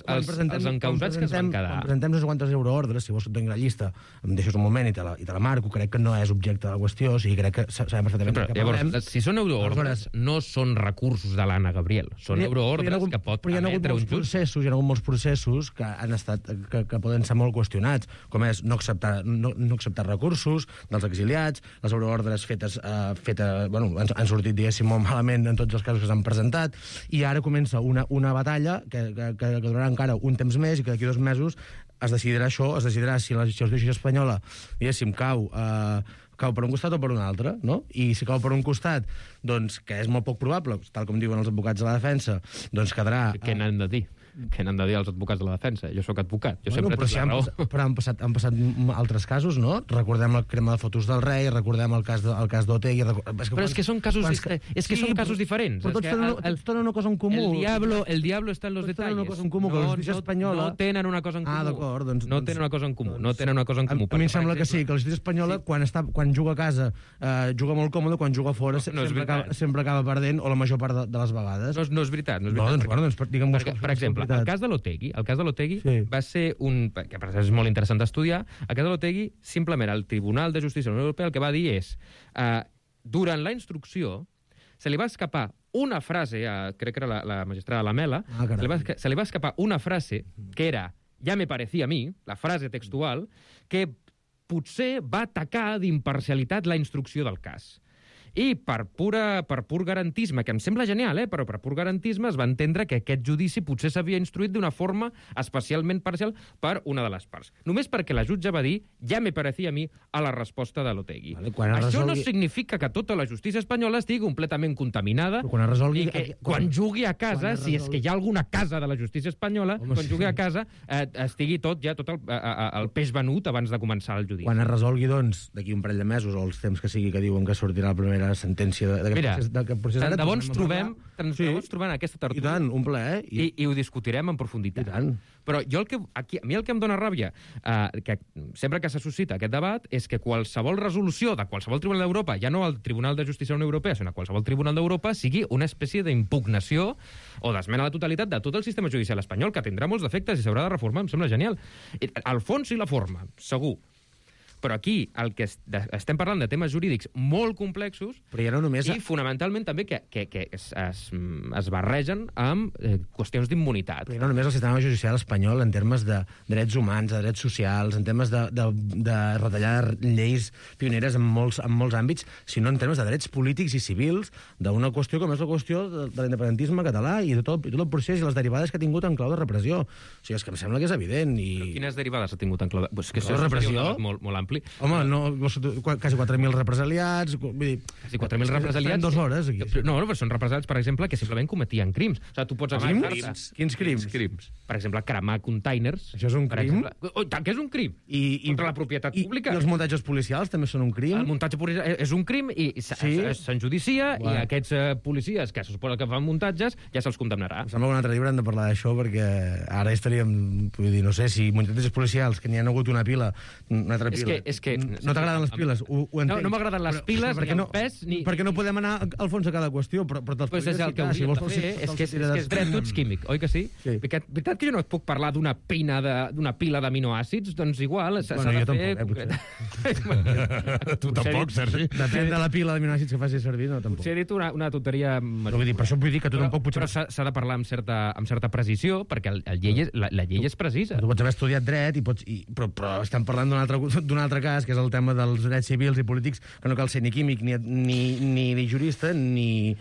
encausats que es van quedar... Quan presentem no sé quantes euroordres, si vols que et doni la llista, em deixes un moment i te la marco, crec que no és objecte de la qüestió, o sigui, crec que sabem perfectament que parlem. Si són euroordres, no són recursos de l'Anna Gabriel, són euroordres que pot emetre un jutge. Hi ha hagut molts processos que han estat que poden ser molt qüestionats, com és no acceptar recursos dels exiliats, les euroordres fetes han sortit, diguéssim, molt malament en tots els casos que s'han presentat, i ara comença una batalla que durarà encara un temps més i que d'aquí 2 mesos es decidirà si la justícia espanyola, diguéssim, cau per un costat o per un altre, no? I si cau per un costat, doncs, que és molt poc probable, tal com diuen els advocats de la defensa, doncs quedarà... Què n'han de dir? Què n'han de dir els advocats de la defensa? Jo sóc advocat, jo sempre tinc la raó. Però han passat altres casos, no? Recordem el crema de fotos del rei, recordem el cas d'Otegi... Però és que són casos diferents. Però tots tenen una cosa en comú. El diablo está en los detalles. Una cosa en comú, que la justícia espanyola... No tenen una cosa en comú. D'acord, doncs... No tenen una cosa en comú, no tenen una cosa en comú. A mi em sembla que sí, que la justícia espanyola, quan juga a casa, juga molt còmode, quan juga fora sempre acaba perdent, o la major part de les vegades. No és veritat. Per exemple, el cas de l'Otegi va ser que per és molt interessant d'estudiar. El cas de l'Otegi, simplement el Tribunal de Justícia de la Unió Europea el que va dir és durant la instrucció se li va escapar una frase, crec que era la magistrada Lamela, se li va escapar una frase que era «ya me parecía a mí», la frase textual, que potser va atacar d'imparcialitat la instrucció del cas. I per pur garantisme, que em sembla genial, però per pur garantisme es va entendre que aquest judici potser s'havia instruït d'una forma especialment parcial per una de les parts. Només perquè la jutge va dir, ja me parecia a mi, a la resposta de l'Otegi. Això no significa que tota la justícia espanyola estigui completament contaminada i que quan jugui a casa, si és que hi ha alguna casa de la justícia espanyola, quan jugui a casa estigui tot el peix venut abans de començar el judici. Quan es resolgui, doncs, d'aquí un parell de mesos, o els temps que sigui que diuen que sortirà la primera sentència d'aquest procés... Tant de bo ens trobem aquesta tertúlia. I tant, un plaer. I ho discutirem en profunditat. Però a mi el que em dóna ràbia, que sempre que se suscita aquest debat, és que qualsevol resolució de qualsevol tribunal d'Europa, ja no al Tribunal de Justícia de la Unió Europea, sinó a qualsevol tribunal d'Europa, sigui una espècie d'impugnació o d'esmena a la totalitat de tot el sistema judicial espanyol, que tindrà molts defectes i s'haurà de reformar, em sembla genial. El fons i la forma, segur. Però aquí el que estem parlant de temes jurídics molt complexos i fonamentalment també que es barregen amb qüestions d'immunitat. Però no només el sistema judicial espanyol en termes de drets humans, de drets socials, en termes de retallar lleis pioneres en molts àmbits, sinó en termes de drets polítics i civils d'una qüestió com és la qüestió de l'independentisme català i de tot el procés i les derivades que ha tingut en clau de repressió. O sigui, és que em sembla que és evident. Però quines derivades ha tingut en clau de... Pues que això és repressió molt ampli. Home, no, quasi 4.000 represaliats... Vull dir, quasi 4.000 represaliats... 2 hores, aquí. No, però són represaliats, per exemple, que simplement cometien crims. O sigui, tu pots... Quins crims? Per exemple, cremar containers. Això és un crim? Tant que és un crim. Contra la propietat pública. I els muntatges policials també són un crim? El muntatge policial és un crim i s'enjudicia i aquests policies que se suposa que fan muntatges ja se'ls condemnarà. Em sembla que un altre llibre hem de parlar d'això perquè ara estaríem... Vull dir, no sé, si muntatges policials, que n'hi ha hagut una pila, una altra pila... És que no t'agraden les piles, ho entenc. No m'agraden les piles, ni el pes, ni... Perquè no podem anar al fons de cada qüestió, però te'ls podries ficar. El que hauríem de fer és que és dret tots químic, oi que sí? Veritat que jo no et puc parlar d'una pila d'aminoàcids? Doncs igual, s'ha de fer... Tu tampoc, Sergi. Depèn de la pila d'aminoàcids que facis servir, no, tampoc. Potser he dit una tonteria... Per això vull dir que tu tampoc potser... Però s'ha de parlar amb certa precisió, perquè la llei és precisa. Tu pots haver estudiat dret, però estem parlant d'un altre cas, que és el tema dels drets civils i polítics, que no cal ser ni químic, ni jurista, ni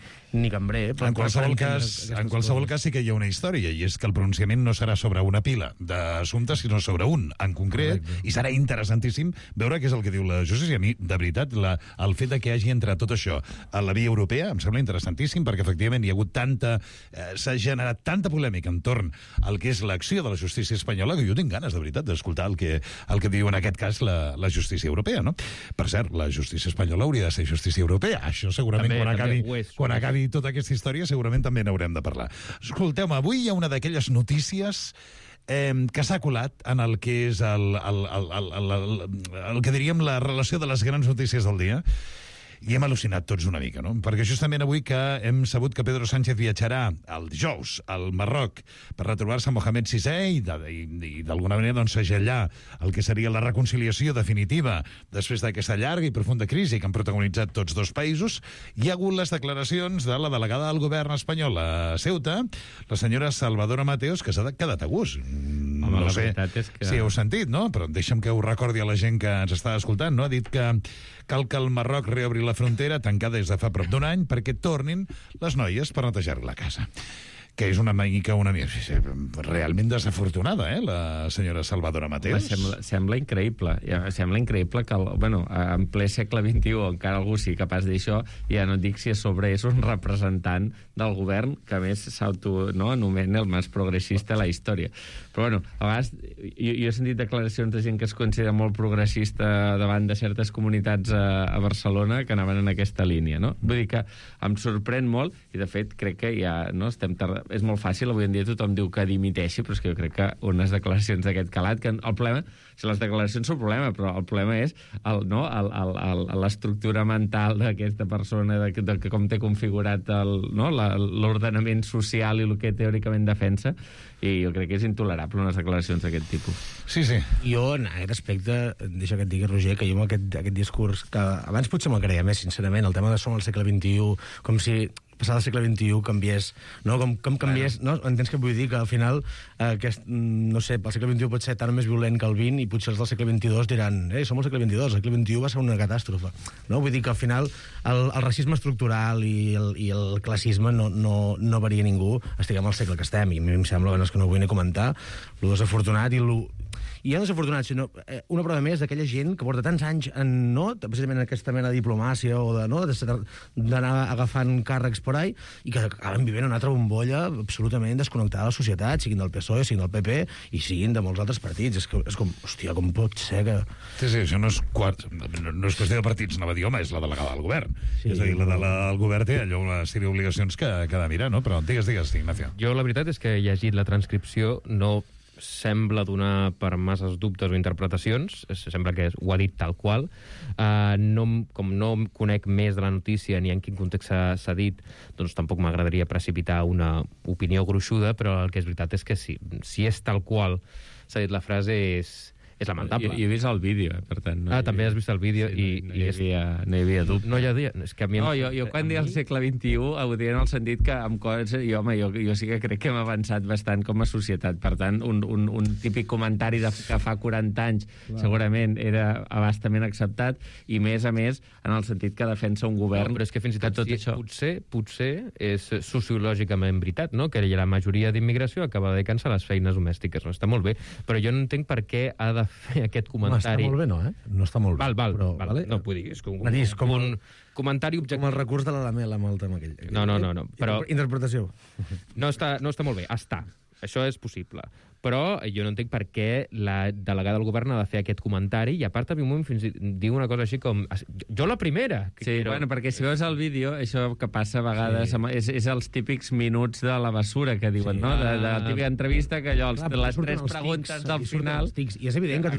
cambrer. En qualsevol cas sí que hi ha una història, i és que el pronunciament no serà sobre una pila d'assumptes, sinó sobre un en concret, i serà interessantíssim veure què és el que diu la justícia. A mi, de veritat, el fet de que hagi entrat tot això a la via europea em sembla interessantíssim, perquè efectivament hi ha hagut s'ha generat tanta polèmica entorn al que és l'acció de la justícia espanyola que jo tinc ganes, de veritat, d'escoltar el que diu en aquest cas la justícia europea, no? Per cert, la justícia espanyola hauria de ser justícia europea. Això segurament quan acabi tota aquesta història segurament també n'haurem de parlar. Escolteu-me, avui hi ha una d'aquelles notícies que s'ha colat en el que és el que diríem la relació de les grans notícies del dia. I hem al·lucinat tots una mica, no? Perquè justament avui que hem sabut que Pedro Sánchez viatjarà el dijous al Marroc per retrobar-se amb Mohamed VI i d'alguna manera doncs segellar el que seria la reconciliació definitiva després d'aquesta llarga i profunda crisi que han protagonitzat tots dos països, hi ha hagut les declaracions de la delegada del govern espanyol a Ceuta, la senyora Salvadora Mateos, que s'ha quedat a gust. No sé si heu sentit, no? Però deixa'm que ho recordi a la gent que ens està escoltant, no? Ha dit que cal que el Marroc reobri la frontera tancada des de fa prop d'un any perquè tornin les noies per netejar la casa. Que és una mica realment desafortunada, la senyora Salvadora Mateos. Sembla increïble. Sembla increïble que, en ple segle XXI encara algú sigui capaç d'això, ja no et dic si a sobre és un representant del govern que a més s'autoanomena el més progressista de la història. Però, a vegades, jo he sentit declaracions de gent que es considera molt progressista davant de certes comunitats a Barcelona que anaven en aquesta línia, no? Vull dir que em sorprèn molt, i de fet crec que ja estem tardant. És molt fàcil, avui en dia tothom diu que dimiteixi, però és que jo crec que unes declaracions d'aquest calat, que el problema, si les declaracions són un problema, però el problema és l'estructura mental d'aquesta persona, de com té configurat l'ordenament social i el que teòricament defensa, i jo crec que és intolerable unes declaracions d'aquest tipus. Sí. Jo, en aquest aspecte, deixa que et digui, Roger, que jo amb aquest discurs, que abans potser me'l creia més, sincerament, el tema de som al segle XXI, com si passar del segle XXI canviés, no? Com canviés, no? Entens què vull dir? Que al final, no sé, el segle XXI pot ser tan més violent que el XX i potser els del segle XXII diran som al segle XXII, el segle XXI va ser una catàstrofe. No? Vull dir que al final el racisme estructural i el classisme no varia ningú, estiguem al segle que estem, i a mi em sembla que no ho vull ni comentar, lo desafortunat i ja no desafortunat, sinó una prova més d'aquella gent que porta tants anys precisament en aquesta mena de diplomàcia o d'anar agafant càrrecs por ahí i que acaben vivint una altra bombolla absolutament desconnectada de la societat, siguin del PSOE, siguin del PP i siguin de molts altres partits. És com, hòstia, com pot ser que... Sí, això no és qüestió de partits, no va dir, home, és la delegada del govern. Sí, és a dir, la delegada del govern té allò una sèrie d'obligacions que ha de mirar, no? Però digues, Ignacio. Jo la veritat és que he llegit la transcripció, no sembla donar per masses dubtes o interpretacions, sembla que ho ha dit tal qual. Com no conec més de la notícia ni en quin context s'ha dit, doncs tampoc m'agradaria precipitar una opinió gruixuda, però el que és veritat és que si és tal qual s'ha dit la frase és lamentable. Jo he vist el vídeo, per tant... també has vist el vídeo i... No hi havia dubte. No hi havia... És que a mi... Jo quan dic el segle XXI ho diré en el sentit que amb coses... Jo sí que crec que hem avançat bastant com a societat. Per tant, un típic comentari que fa 40 anys segurament era abastament acceptat i, més a més, en el sentit que defensa un govern... Però és que fins i tot això... Potser és sociològicament veritat, no? Que la majoria d'immigració acaba de cancel les feines domèstiques. No està molt bé, però jo no entenc per què ha de fer aquest comentari... No està molt bé, no, No està molt bé. Val. Vale? No, vull dir, és com un comentari objectiu. Com el recurs de la Lamela amb el tema aquell. No, però... Interpretació. No està molt bé, això és possible. Però jo no entenc per què la delegada del govern ha de fer aquest comentari i, a part, a mi fins diu una cosa així com... Jo la primera! Bueno, perquè si veus el vídeo, això que passa a vegades és els típics minuts de la bessura que diuen, no? De la típica entrevista que allò, les 3 preguntes del final... I és evident que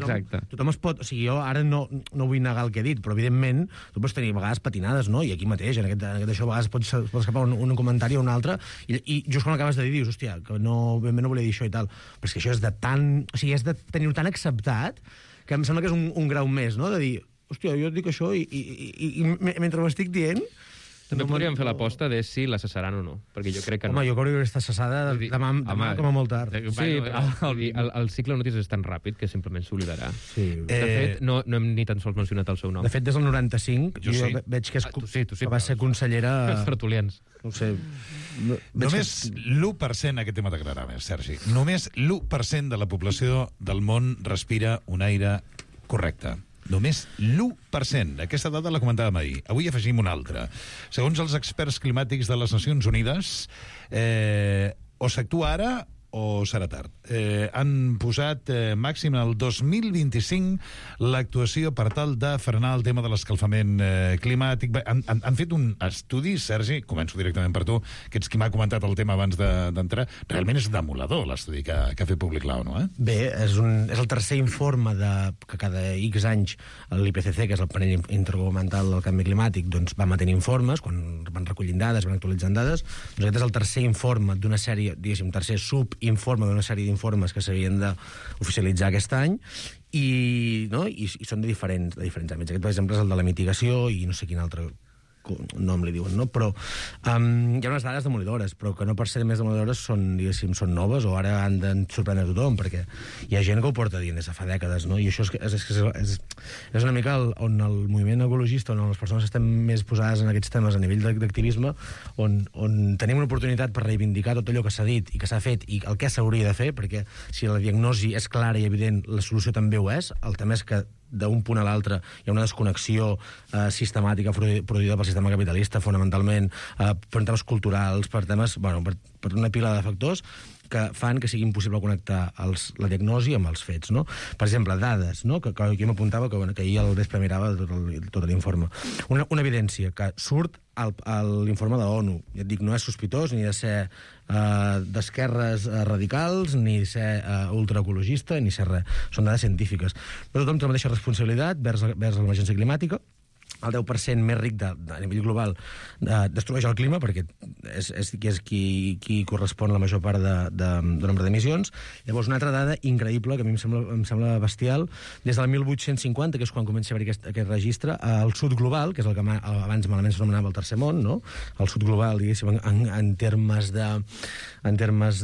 tothom es pot... O sigui, jo ara no vull negar el que he dit, però, evidentment, tu pots tenir a vegades patinades, no? I aquí mateix, en aquest això, a vegades pots escapar un comentari o un altre, i just quan acabes de dir, dius, hòstia, que no volia dir això i tal. Però és que això és de tenir-ho tan acceptat que em sembla que és un grau més, no? De dir, hòstia, jo et dic això i mentre ho estic dient... També podríem fer l'aposta de si la cessaran o no, perquè jo crec que no. Home, jo crec que està cessada demà com a molt tard. Sí, el cicle de notícies és tan ràpid que simplement s'oblidarà. De fet, no hem ni tan sols mencionat el seu nom. De fet, des del 95, jo veig que va ser consellera... Els tertulians. No sé... Només l'1%, aquest tema t'agradarà més, Sergi, només l'1% de la població del món respira un aire correcte. Només l'1%. Aquesta dada la comentàvem ahir. Avui afegim una altra. Segons els experts climàtics de les Nacions Unides, o s'actua ara o serà tard. Han posat màxim el 2025 l'actuació per tal de frenar el tema de l'escalfament climàtic. Han fet un estudi, Sergi, començo directament per tu, que ets qui m'ha comentat el tema abans d'entrar. Realment és demoledor l'estudi que ha fet públic l'ONU, eh? Bé, és el tercer informe que cada X anys l'IPCC, que és el panell intergovernamental del canvi climàtic, doncs va mantenir informes, quan van recollint dades, van actualitzant dades. Doncs aquest és el tercer informe d'una sèrie, diguéssim, tercer subinforme d'una sèrie d'informes que s'havien d'oficialitzar aquest any i són de diferents àmbits. Aquest, per exemple, és el de la mitigació i no sé quin altre nom li diuen, no? Però hi ha unes dades demolidores, però que no per ser més demolidores són noves o ara han de sorprendre tothom, perquè hi ha gent que ho porta dient des de fa dècades, no? I això és una mica on el moviment ecologista, on les persones estem més posades en aquests temes a nivell d'activisme, on tenim una oportunitat per reivindicar tot allò que s'ha dit i que s'ha fet i el que s'hauria de fer, perquè si la diagnosi és clara i evident, la solució també ho és. El tema és que d'un punt a l'altre hi ha una desconnexió sistemàtica produïda pel sistema capitalista, fonamentalment, per temes culturals, per temes, per una pila de factors que fan que sigui impossible connectar la diagnosi amb els fets, no? Per exemple, dades, no? Que jo m'apuntava que ahir al vespre mirava tot l'informe. Una evidència que surt a l'informe de l'ONU. Ja et dic, no és sospitós ni de ser d'esquerres radicals, ni ser ultraecologista, ni ser res. Són dades científiques. Però tothom té la mateixa responsabilitat vers l'emergència climàtica. el 10% més ric a nivell global destrueix el clima, perquè és qui correspon la major part de nombre d'emissions. Llavors, una altra dada increïble, que a mi em sembla bestial, des del 1850, que és quan comença a haver aquest registre, el sud global, que és el que abans malament s'anomenava el tercer món, no? El sud global, diguéssim, en termes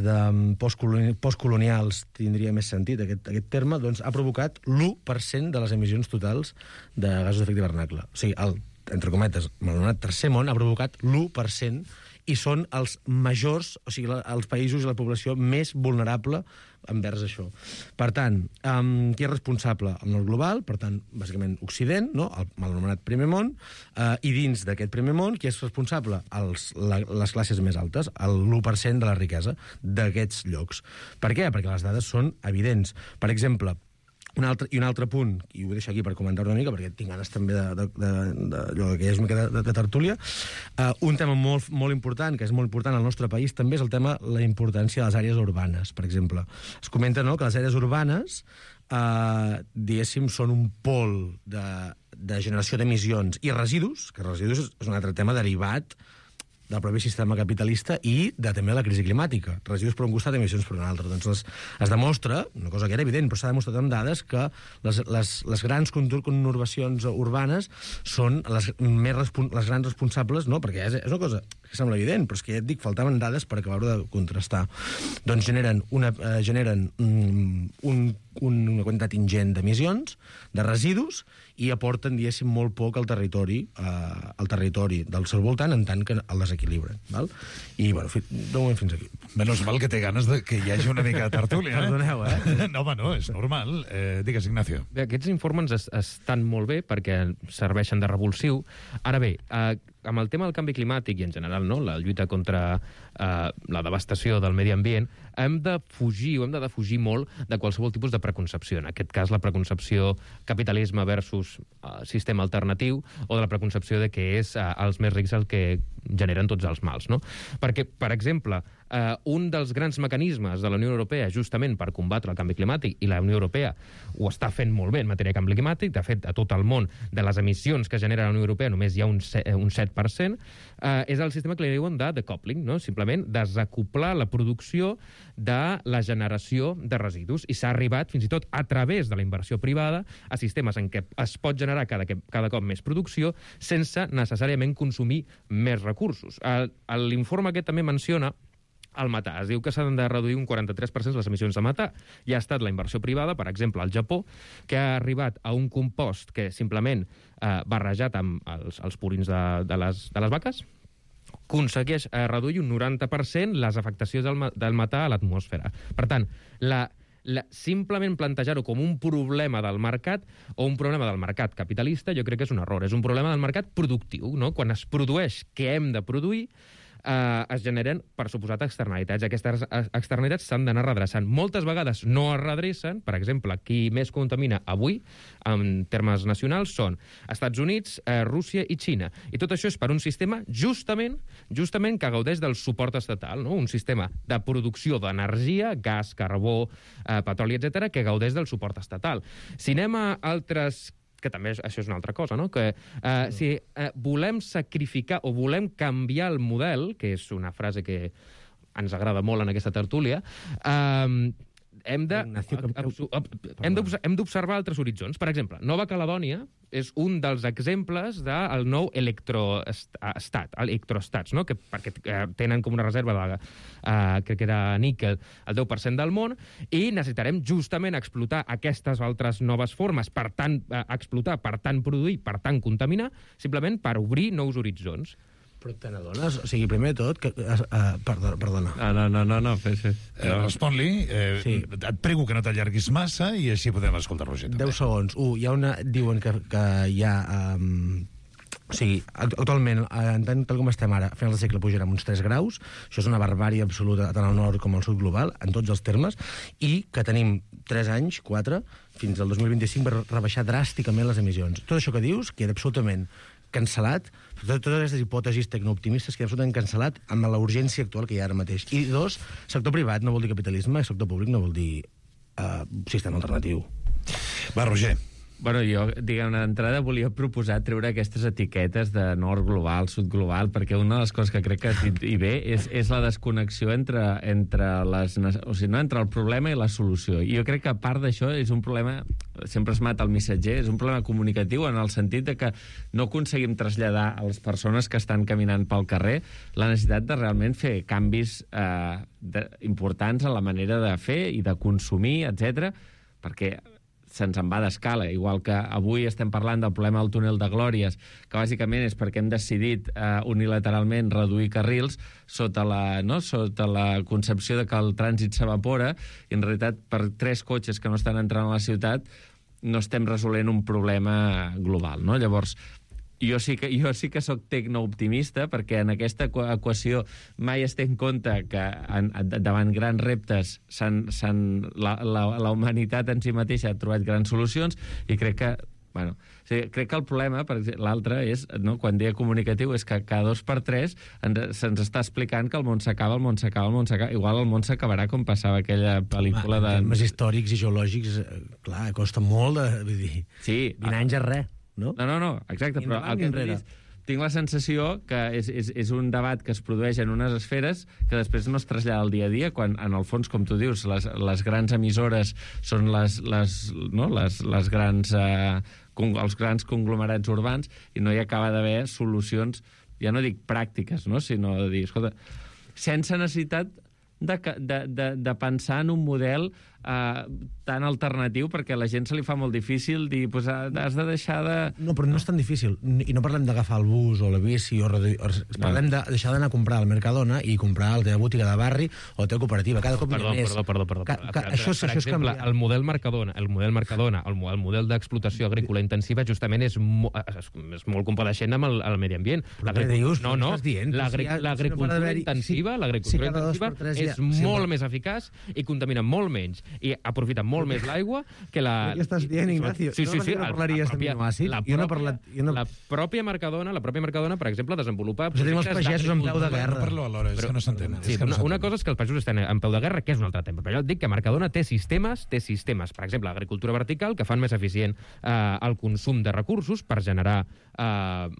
de postcolonials tindria més sentit aquest terme, doncs ha provocat l'1% de les emissions totals de gasos d'efecte hivernacle. O sigui, entre cometes, el tercer món ha provocat l'1% i són els majors, o sigui, els països i la població més vulnerable envers això. Per tant, qui és responsable? El nord global, per tant, bàsicament Occident, no? El mal anomenat primer món, i dins d'aquest primer món, qui és responsable? Les classes més altes, l'1% de la riquesa d'aquests llocs. Per què? Perquè les dades són evidents. Per exemple, un altre punt, i ho vull deixar aquí per comentar una mica, perquè tinc ganes també d'allò que hi ha una mica de tertúlia, un tema molt, molt important, que és molt important al nostre país, també és el tema la importància de les àrees urbanes, per exemple. Es comenta, no?, que les àrees urbanes, diguéssim, són un pol de generació d'emissions i residus, que residus és un altre tema derivat del propi sistema capitalista i també la crisi climàtica. Residus per un costat, emissions per un altre. Doncs es demostra, una cosa que era evident, però s'ha demostrat amb dades, que les grans conurbacions urbanes són les grans responsables, no? Perquè és una cosa que sembla evident, però és que ja et dic, faltaven dades per acabar-ho de contrastar. Doncs generen una quantitat ingent d'emissions, de residus, i aporten, diguéssim, molt poc al territori del seu voltant, en tant que el desequilibren. Val? I, bueno, de moment fins aquí. Menys mal que té ganes que hi hagi una mica de tertúlia. Perdoneu, No, home, no, és normal. Digues, Ignacio. Bé, aquests informes estan molt bé perquè serveixen de revulsiu. Ara bé, amb el tema del canvi climàtic i en general, no?, la lluita contra la devastació del medi ambient, hem de defugir molt de qualsevol tipus de preconcepció. En aquest cas, la preconcepció capitalisme versus sistema alternatiu, o de la preconcepció de que és els més rics el que generen tots els mals, no? Perquè, per exemple, un dels grans mecanismes de la Unió Europea justament per combatre el canvi climàtic, i la Unió Europea ho està fent molt bé en matèria de canvi climàtic, de fet, a tot el món, de les emissions que genera la Unió Europea només hi ha un 7%, és el sistema que li diuen de decoupling, no? Simplement desacoplar la producció de la generació de residus, i s'ha arribat, fins i tot a través de la inversió privada, a sistemes en què es pot generar cada cop més producció sense necessàriament consumir més recursos. L'informe aquest també menciona el metà. Es diu que s'han de reduir un 43% les emissions de metà. I ha estat la inversió privada, per exemple, al Japó, que ha arribat a un compost que simplement barrejat amb els purins de les vaques aconsegueix reduir un 90% les afectacions del metà a l'atmosfera. Per tant, simplement plantejar-ho com un problema del mercat o un problema del mercat capitalista, jo crec que és un error. És un problema del mercat productiu, no? Quan es produeix què hem de produir, es generen, per suposat, externalitats. Aquestes externalitats s'han d'anar redreçant. Moltes vegades no es redrecen. Per exemple, qui més contamina avui, en termes nacionals, són Estats Units, Rússia i Xina. I tot això és per un sistema justament que gaudeix del suport estatal, no? Un sistema de producció d'energia, gas, carbó, petroli, etc., que gaudeix del suport estatal. Si anem a altres, que també això és una altra cosa, no? Que si volem sacrificar o volem canviar el model, que és una frase que ens agrada molt en aquesta tertúlia, hem d'observar altres horitzons. Per exemple, Nova Caledònia és un dels exemples del nou electroestats, no? Perquè tenen com una reserva de, crec que era níquel, el 10% del món, i necessitarem justament explotar aquestes altres noves formes, per tant, explotar, per tant, produir, per tant, contaminar, simplement per obrir nous horitzons. Però te n'adones? O sigui, primer de tot... Perdona. No, fes. Respon-li. Sí. Et prego que no t'allarguis massa i així podem escoltar Roger. 10 segons. Hi ha una... Diuen que hi ha... O sigui, actualment, tal com estem ara, a finals de segle pujarem uns 3 graus, això és una barbària absoluta tant al nord com al sud global, en tots els termes, i que tenim 3 anys, 4, fins al 2025 per rebaixar dràsticament les emissions. Tot això que dius queda absolutament cancel·lat, totes aquestes hipòtesis tecnooptimistes queda absolutament cancel·lat amb la urgència actual que hi ha ara mateix. I 2, sector privat no vol dir capitalisme, i sector públic no vol dir sistema alternatiu. Va, Roger. Bueno, jo, diguem-ne, d'entrada volia proposar treure aquestes etiquetes de nord global, sud global, perquè una de les coses que crec que hi ve és la desconnexió entre el problema i la solució. I jo crec que a part d'això és un problema, sempre es mata el missatger, és un problema comunicatiu en el sentit de que no aconseguim traslladar a les persones que estan caminant pel carrer la necessitat de realment fer canvis importants en la manera de fer i de consumir, etc, perquè se'ns en va d'escala, igual que avui estem parlant del problema del túnel de Glòries, que bàsicament és perquè hem decidit unilateralment reduir carrils sota la concepció de que el trànsit s'evapora, i en realitat per 3 cotxes que no estan entrant a la ciutat no estem resolent un problema global, no? Llavors, jo sí que soc tecnooptimista, perquè en aquesta equació mai es té en compte que davant grans reptes la humanitat en si mateixa ha trobat grans solucions, i crec que crec que el problema, per exemple, l'altre és, no, quan deia comunicatiu, és que cada 2 per 3 se'ns està explicant que el món s'acaba. Igual el món s'acabarà com passava aquella pel·lícula de... En termes històrics i geològics, clar, costa molt vull dir, 20 anys és res. No, exacte, però el que tinc la sensació que és un debat que es produeix en unes esferes que després no es trasllada al dia a dia, quan, en el fons, com tu dius, les grans emissores són els grans conglomerats urbans, i no hi acaba d'haver solucions, ja no dic pràctiques, no? Sinó de dir, escolta, sense necessitat de pensar en un model tan alternatiu, perquè a la gent se li fa molt difícil dir, pues, has de deixar de... No, però no és tan difícil. I no parlem d'agafar el bus o la bici, parlem de deixar d'anar a comprar al Mercadona i comprar a la teva botiga de barri o a la teva cooperativa. Cada cop Perdó. Això per exemple, el model Mercadona, el model d'explotació agrícola intensiva, justament és molt compadeixent amb el medi ambient. L'agricultura intensiva és molt més eficaç i contamina molt menys i aprofita molt més l'aigua que la... Què estàs dient, Ignacio? Sí. La pròpia Mercadona, per exemple, desenvolupa... Però tenim els pagesos en peu de guerra. No parlo alhora, és que no s'entén. Una cosa és que els pagesos estan en peu de guerra, que és un altre tema. Però jo et dic que Mercadona té sistemes, per exemple, l'agricultura vertical, que fan més eficient el consum de recursos per generar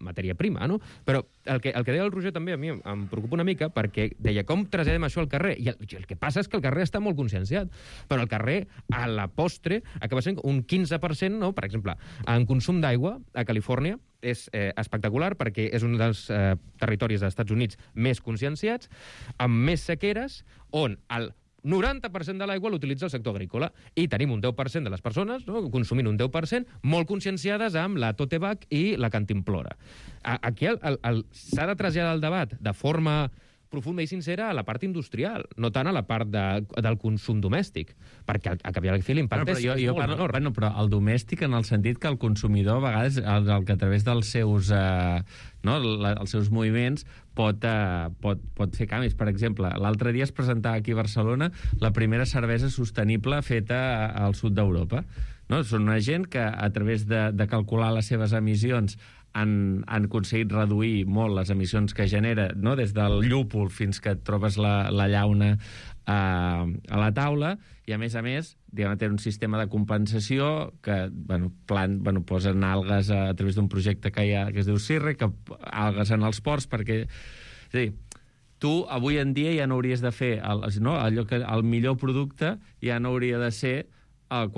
matèria prima, no? Però el que deia el Roger també a mi em preocupa una mica, perquè deia, com traslladem això al carrer? I el que passa és que el carrer està molt conscienciat, però el carrer, a la postre, acaba sent un 15%, no? Per exemple, en consum d'aigua a Califòrnia és espectacular, perquè és un dels territoris dels Estats Units més conscienciats, amb més sequeres, on el 90% de l'aigua l'utilitza el sector agrícola, i tenim un 10% de les persones, no, consumint un 10%, molt conscienciades amb la tote bag i la cantimplora. Aquí s'ha de traslladar el debat de forma profunda i sincera a la part industrial, no tant a la part del consum domèstic, perquè al cap i a la fi l'impacte és molt menor. Però el domèstic, en el sentit que el consumidor, a vegades, el que a través dels seus, els seus moviments pot fer canvis. Per exemple, l'altre dia es presentava aquí a Barcelona la primera cervesa sostenible feta al sud d'Europa. No? Són una gent que, a través de calcular les seves emissions, han aconseguit reduir molt les emissions que genera, no? Des del llúpol fins que et trobes la llauna a la taula, i a més, tenen un sistema de compensació que posen algues a través d'un projecte que es diu CIRRE, que algues en els ports, perquè... És a dir, tu avui en dia ja no hauries de fer allò que el millor producte ja no hauria de ser el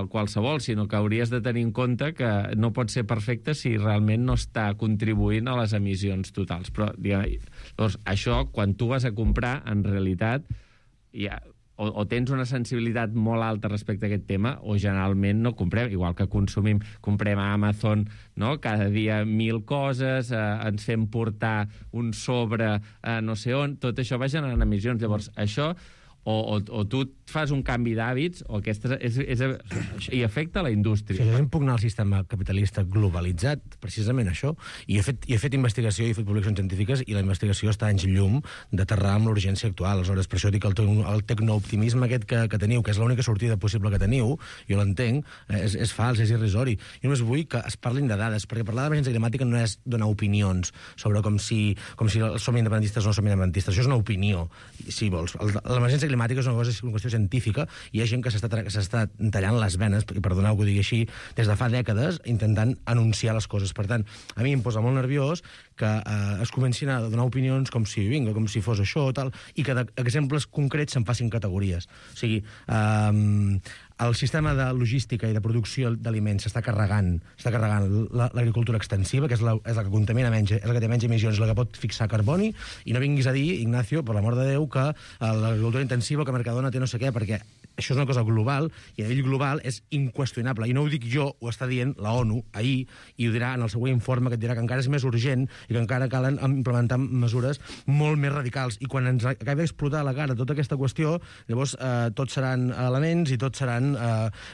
qualsevol, sinó que hauries de tenir en compte que no pot ser perfecte si realment no està contribuint a les emissions totals. Però, llavors, això, quan tu vas a comprar, en realitat, o tens una sensibilitat molt alta respecte a aquest tema, o generalment no comprem, igual que comprem a Amazon, no? Cada dia 1000 coses, ens fem portar un sobre no sé on, tot això va generant emissions. Llavors, això... O tu fas un canvi d'hàbits i afecta la indústria. Això és impugnar el sistema capitalista globalitzat, precisament això. I he fet investigació i he fet publicacions científiques, i la investigació està anys llum d'aterrar amb l'urgència actual. Aleshores, per això dic el tecnooptimisme aquest que teniu, que és l'única sortida possible que teniu, jo l'entenc, és fals, és irrisori. Jo només vull que es parlin de dades, perquè parlar d'emergència climàtica no és donar opinions sobre com si som independentistes o no som independentistes. Això és una opinió, si vols. L'emergència climàtica és una qüestió científica, i hi ha gent que s'està tallant les venes, i perdoneu que ho digui així, des de fa dècades, intentant anunciar les coses. Per tant, a mi em posa molt nerviós que es comencin a donar opinions com si fos això o tal, i que d'exemples concrets se'n facin categories. O sigui, el sistema de logística i de producció d'aliments s'està carregant l'agricultura extensiva, que és la que contamina menys, és la que té menys emissions, la que pot fixar carboni, i no vinguis a dir, Ignacio, per l'amor de Déu, que l'agricultura intensiva, que Mercadona té no sé què, perquè això és una cosa global, i a nivell global és inqüestionable. I no ho dic jo, ho està dient la ONU ahir, i ho dirà en el següent informe, que et dirà que encara és més urgent i que encara calen implementar mesures molt més radicals. I quan ens acabi d'explotar a la cara tota aquesta qüestió, llavors tots seran elements i tots seran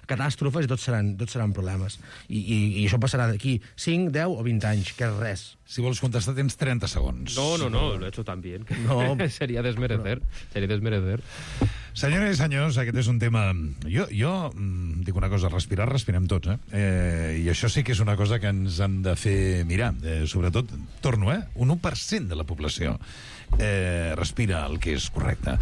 catàstrofes i tots seran problemes. I això passarà d'aquí 5, 10 o 20 anys, que és res. Si vols contestar, tens 30 segons. No, lo he hecho tan bien. No. Sería desmerecer. Senyores i senyors, aquest és un tema... Jo dic una cosa, respirem tots, i això sí que és una cosa que ens han de fer mirar. Sobretot, torno, un 1% de la població respira el que és correcte.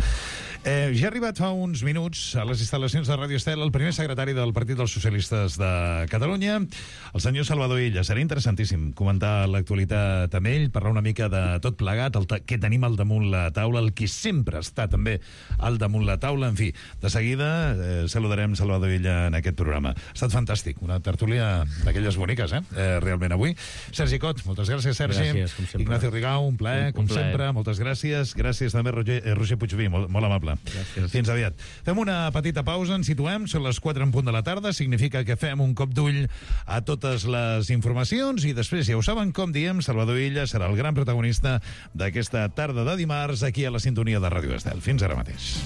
Ja ha arribat fa uns minuts a les instal·lacions de Ràdio Estel el primer secretari del Partit dels Socialistes de Catalunya, el senyor Salvador Illa. Serà interessantíssim comentar l'actualitat amb ell, parlar una mica de tot plegat, que tenim al damunt la taula, el que sempre està també al damunt la taula. En fi, de seguida saludarem Salvador Illa en aquest programa. Ha estat fantàstic, una tertúlia d'aquelles boniques, realment avui. Sergi Cot, moltes gràcies, Sergi. Gràcies, com sempre. Ignacio Rigau, un plaer, com sempre. Moltes gràcies. Gràcies també, Roger Puigví, molt amable. Gràcies. Fins aviat. Fem una petita pausa, ens situem, són les 4 en punt de la tarda, significa que fem un cop d'ull a totes les informacions i després, ja ho saben, com diem, Salvador Illa serà el gran protagonista d'aquesta tarda de dimarts aquí a la sintonia de Ràdio Estel. Fins ara mateix.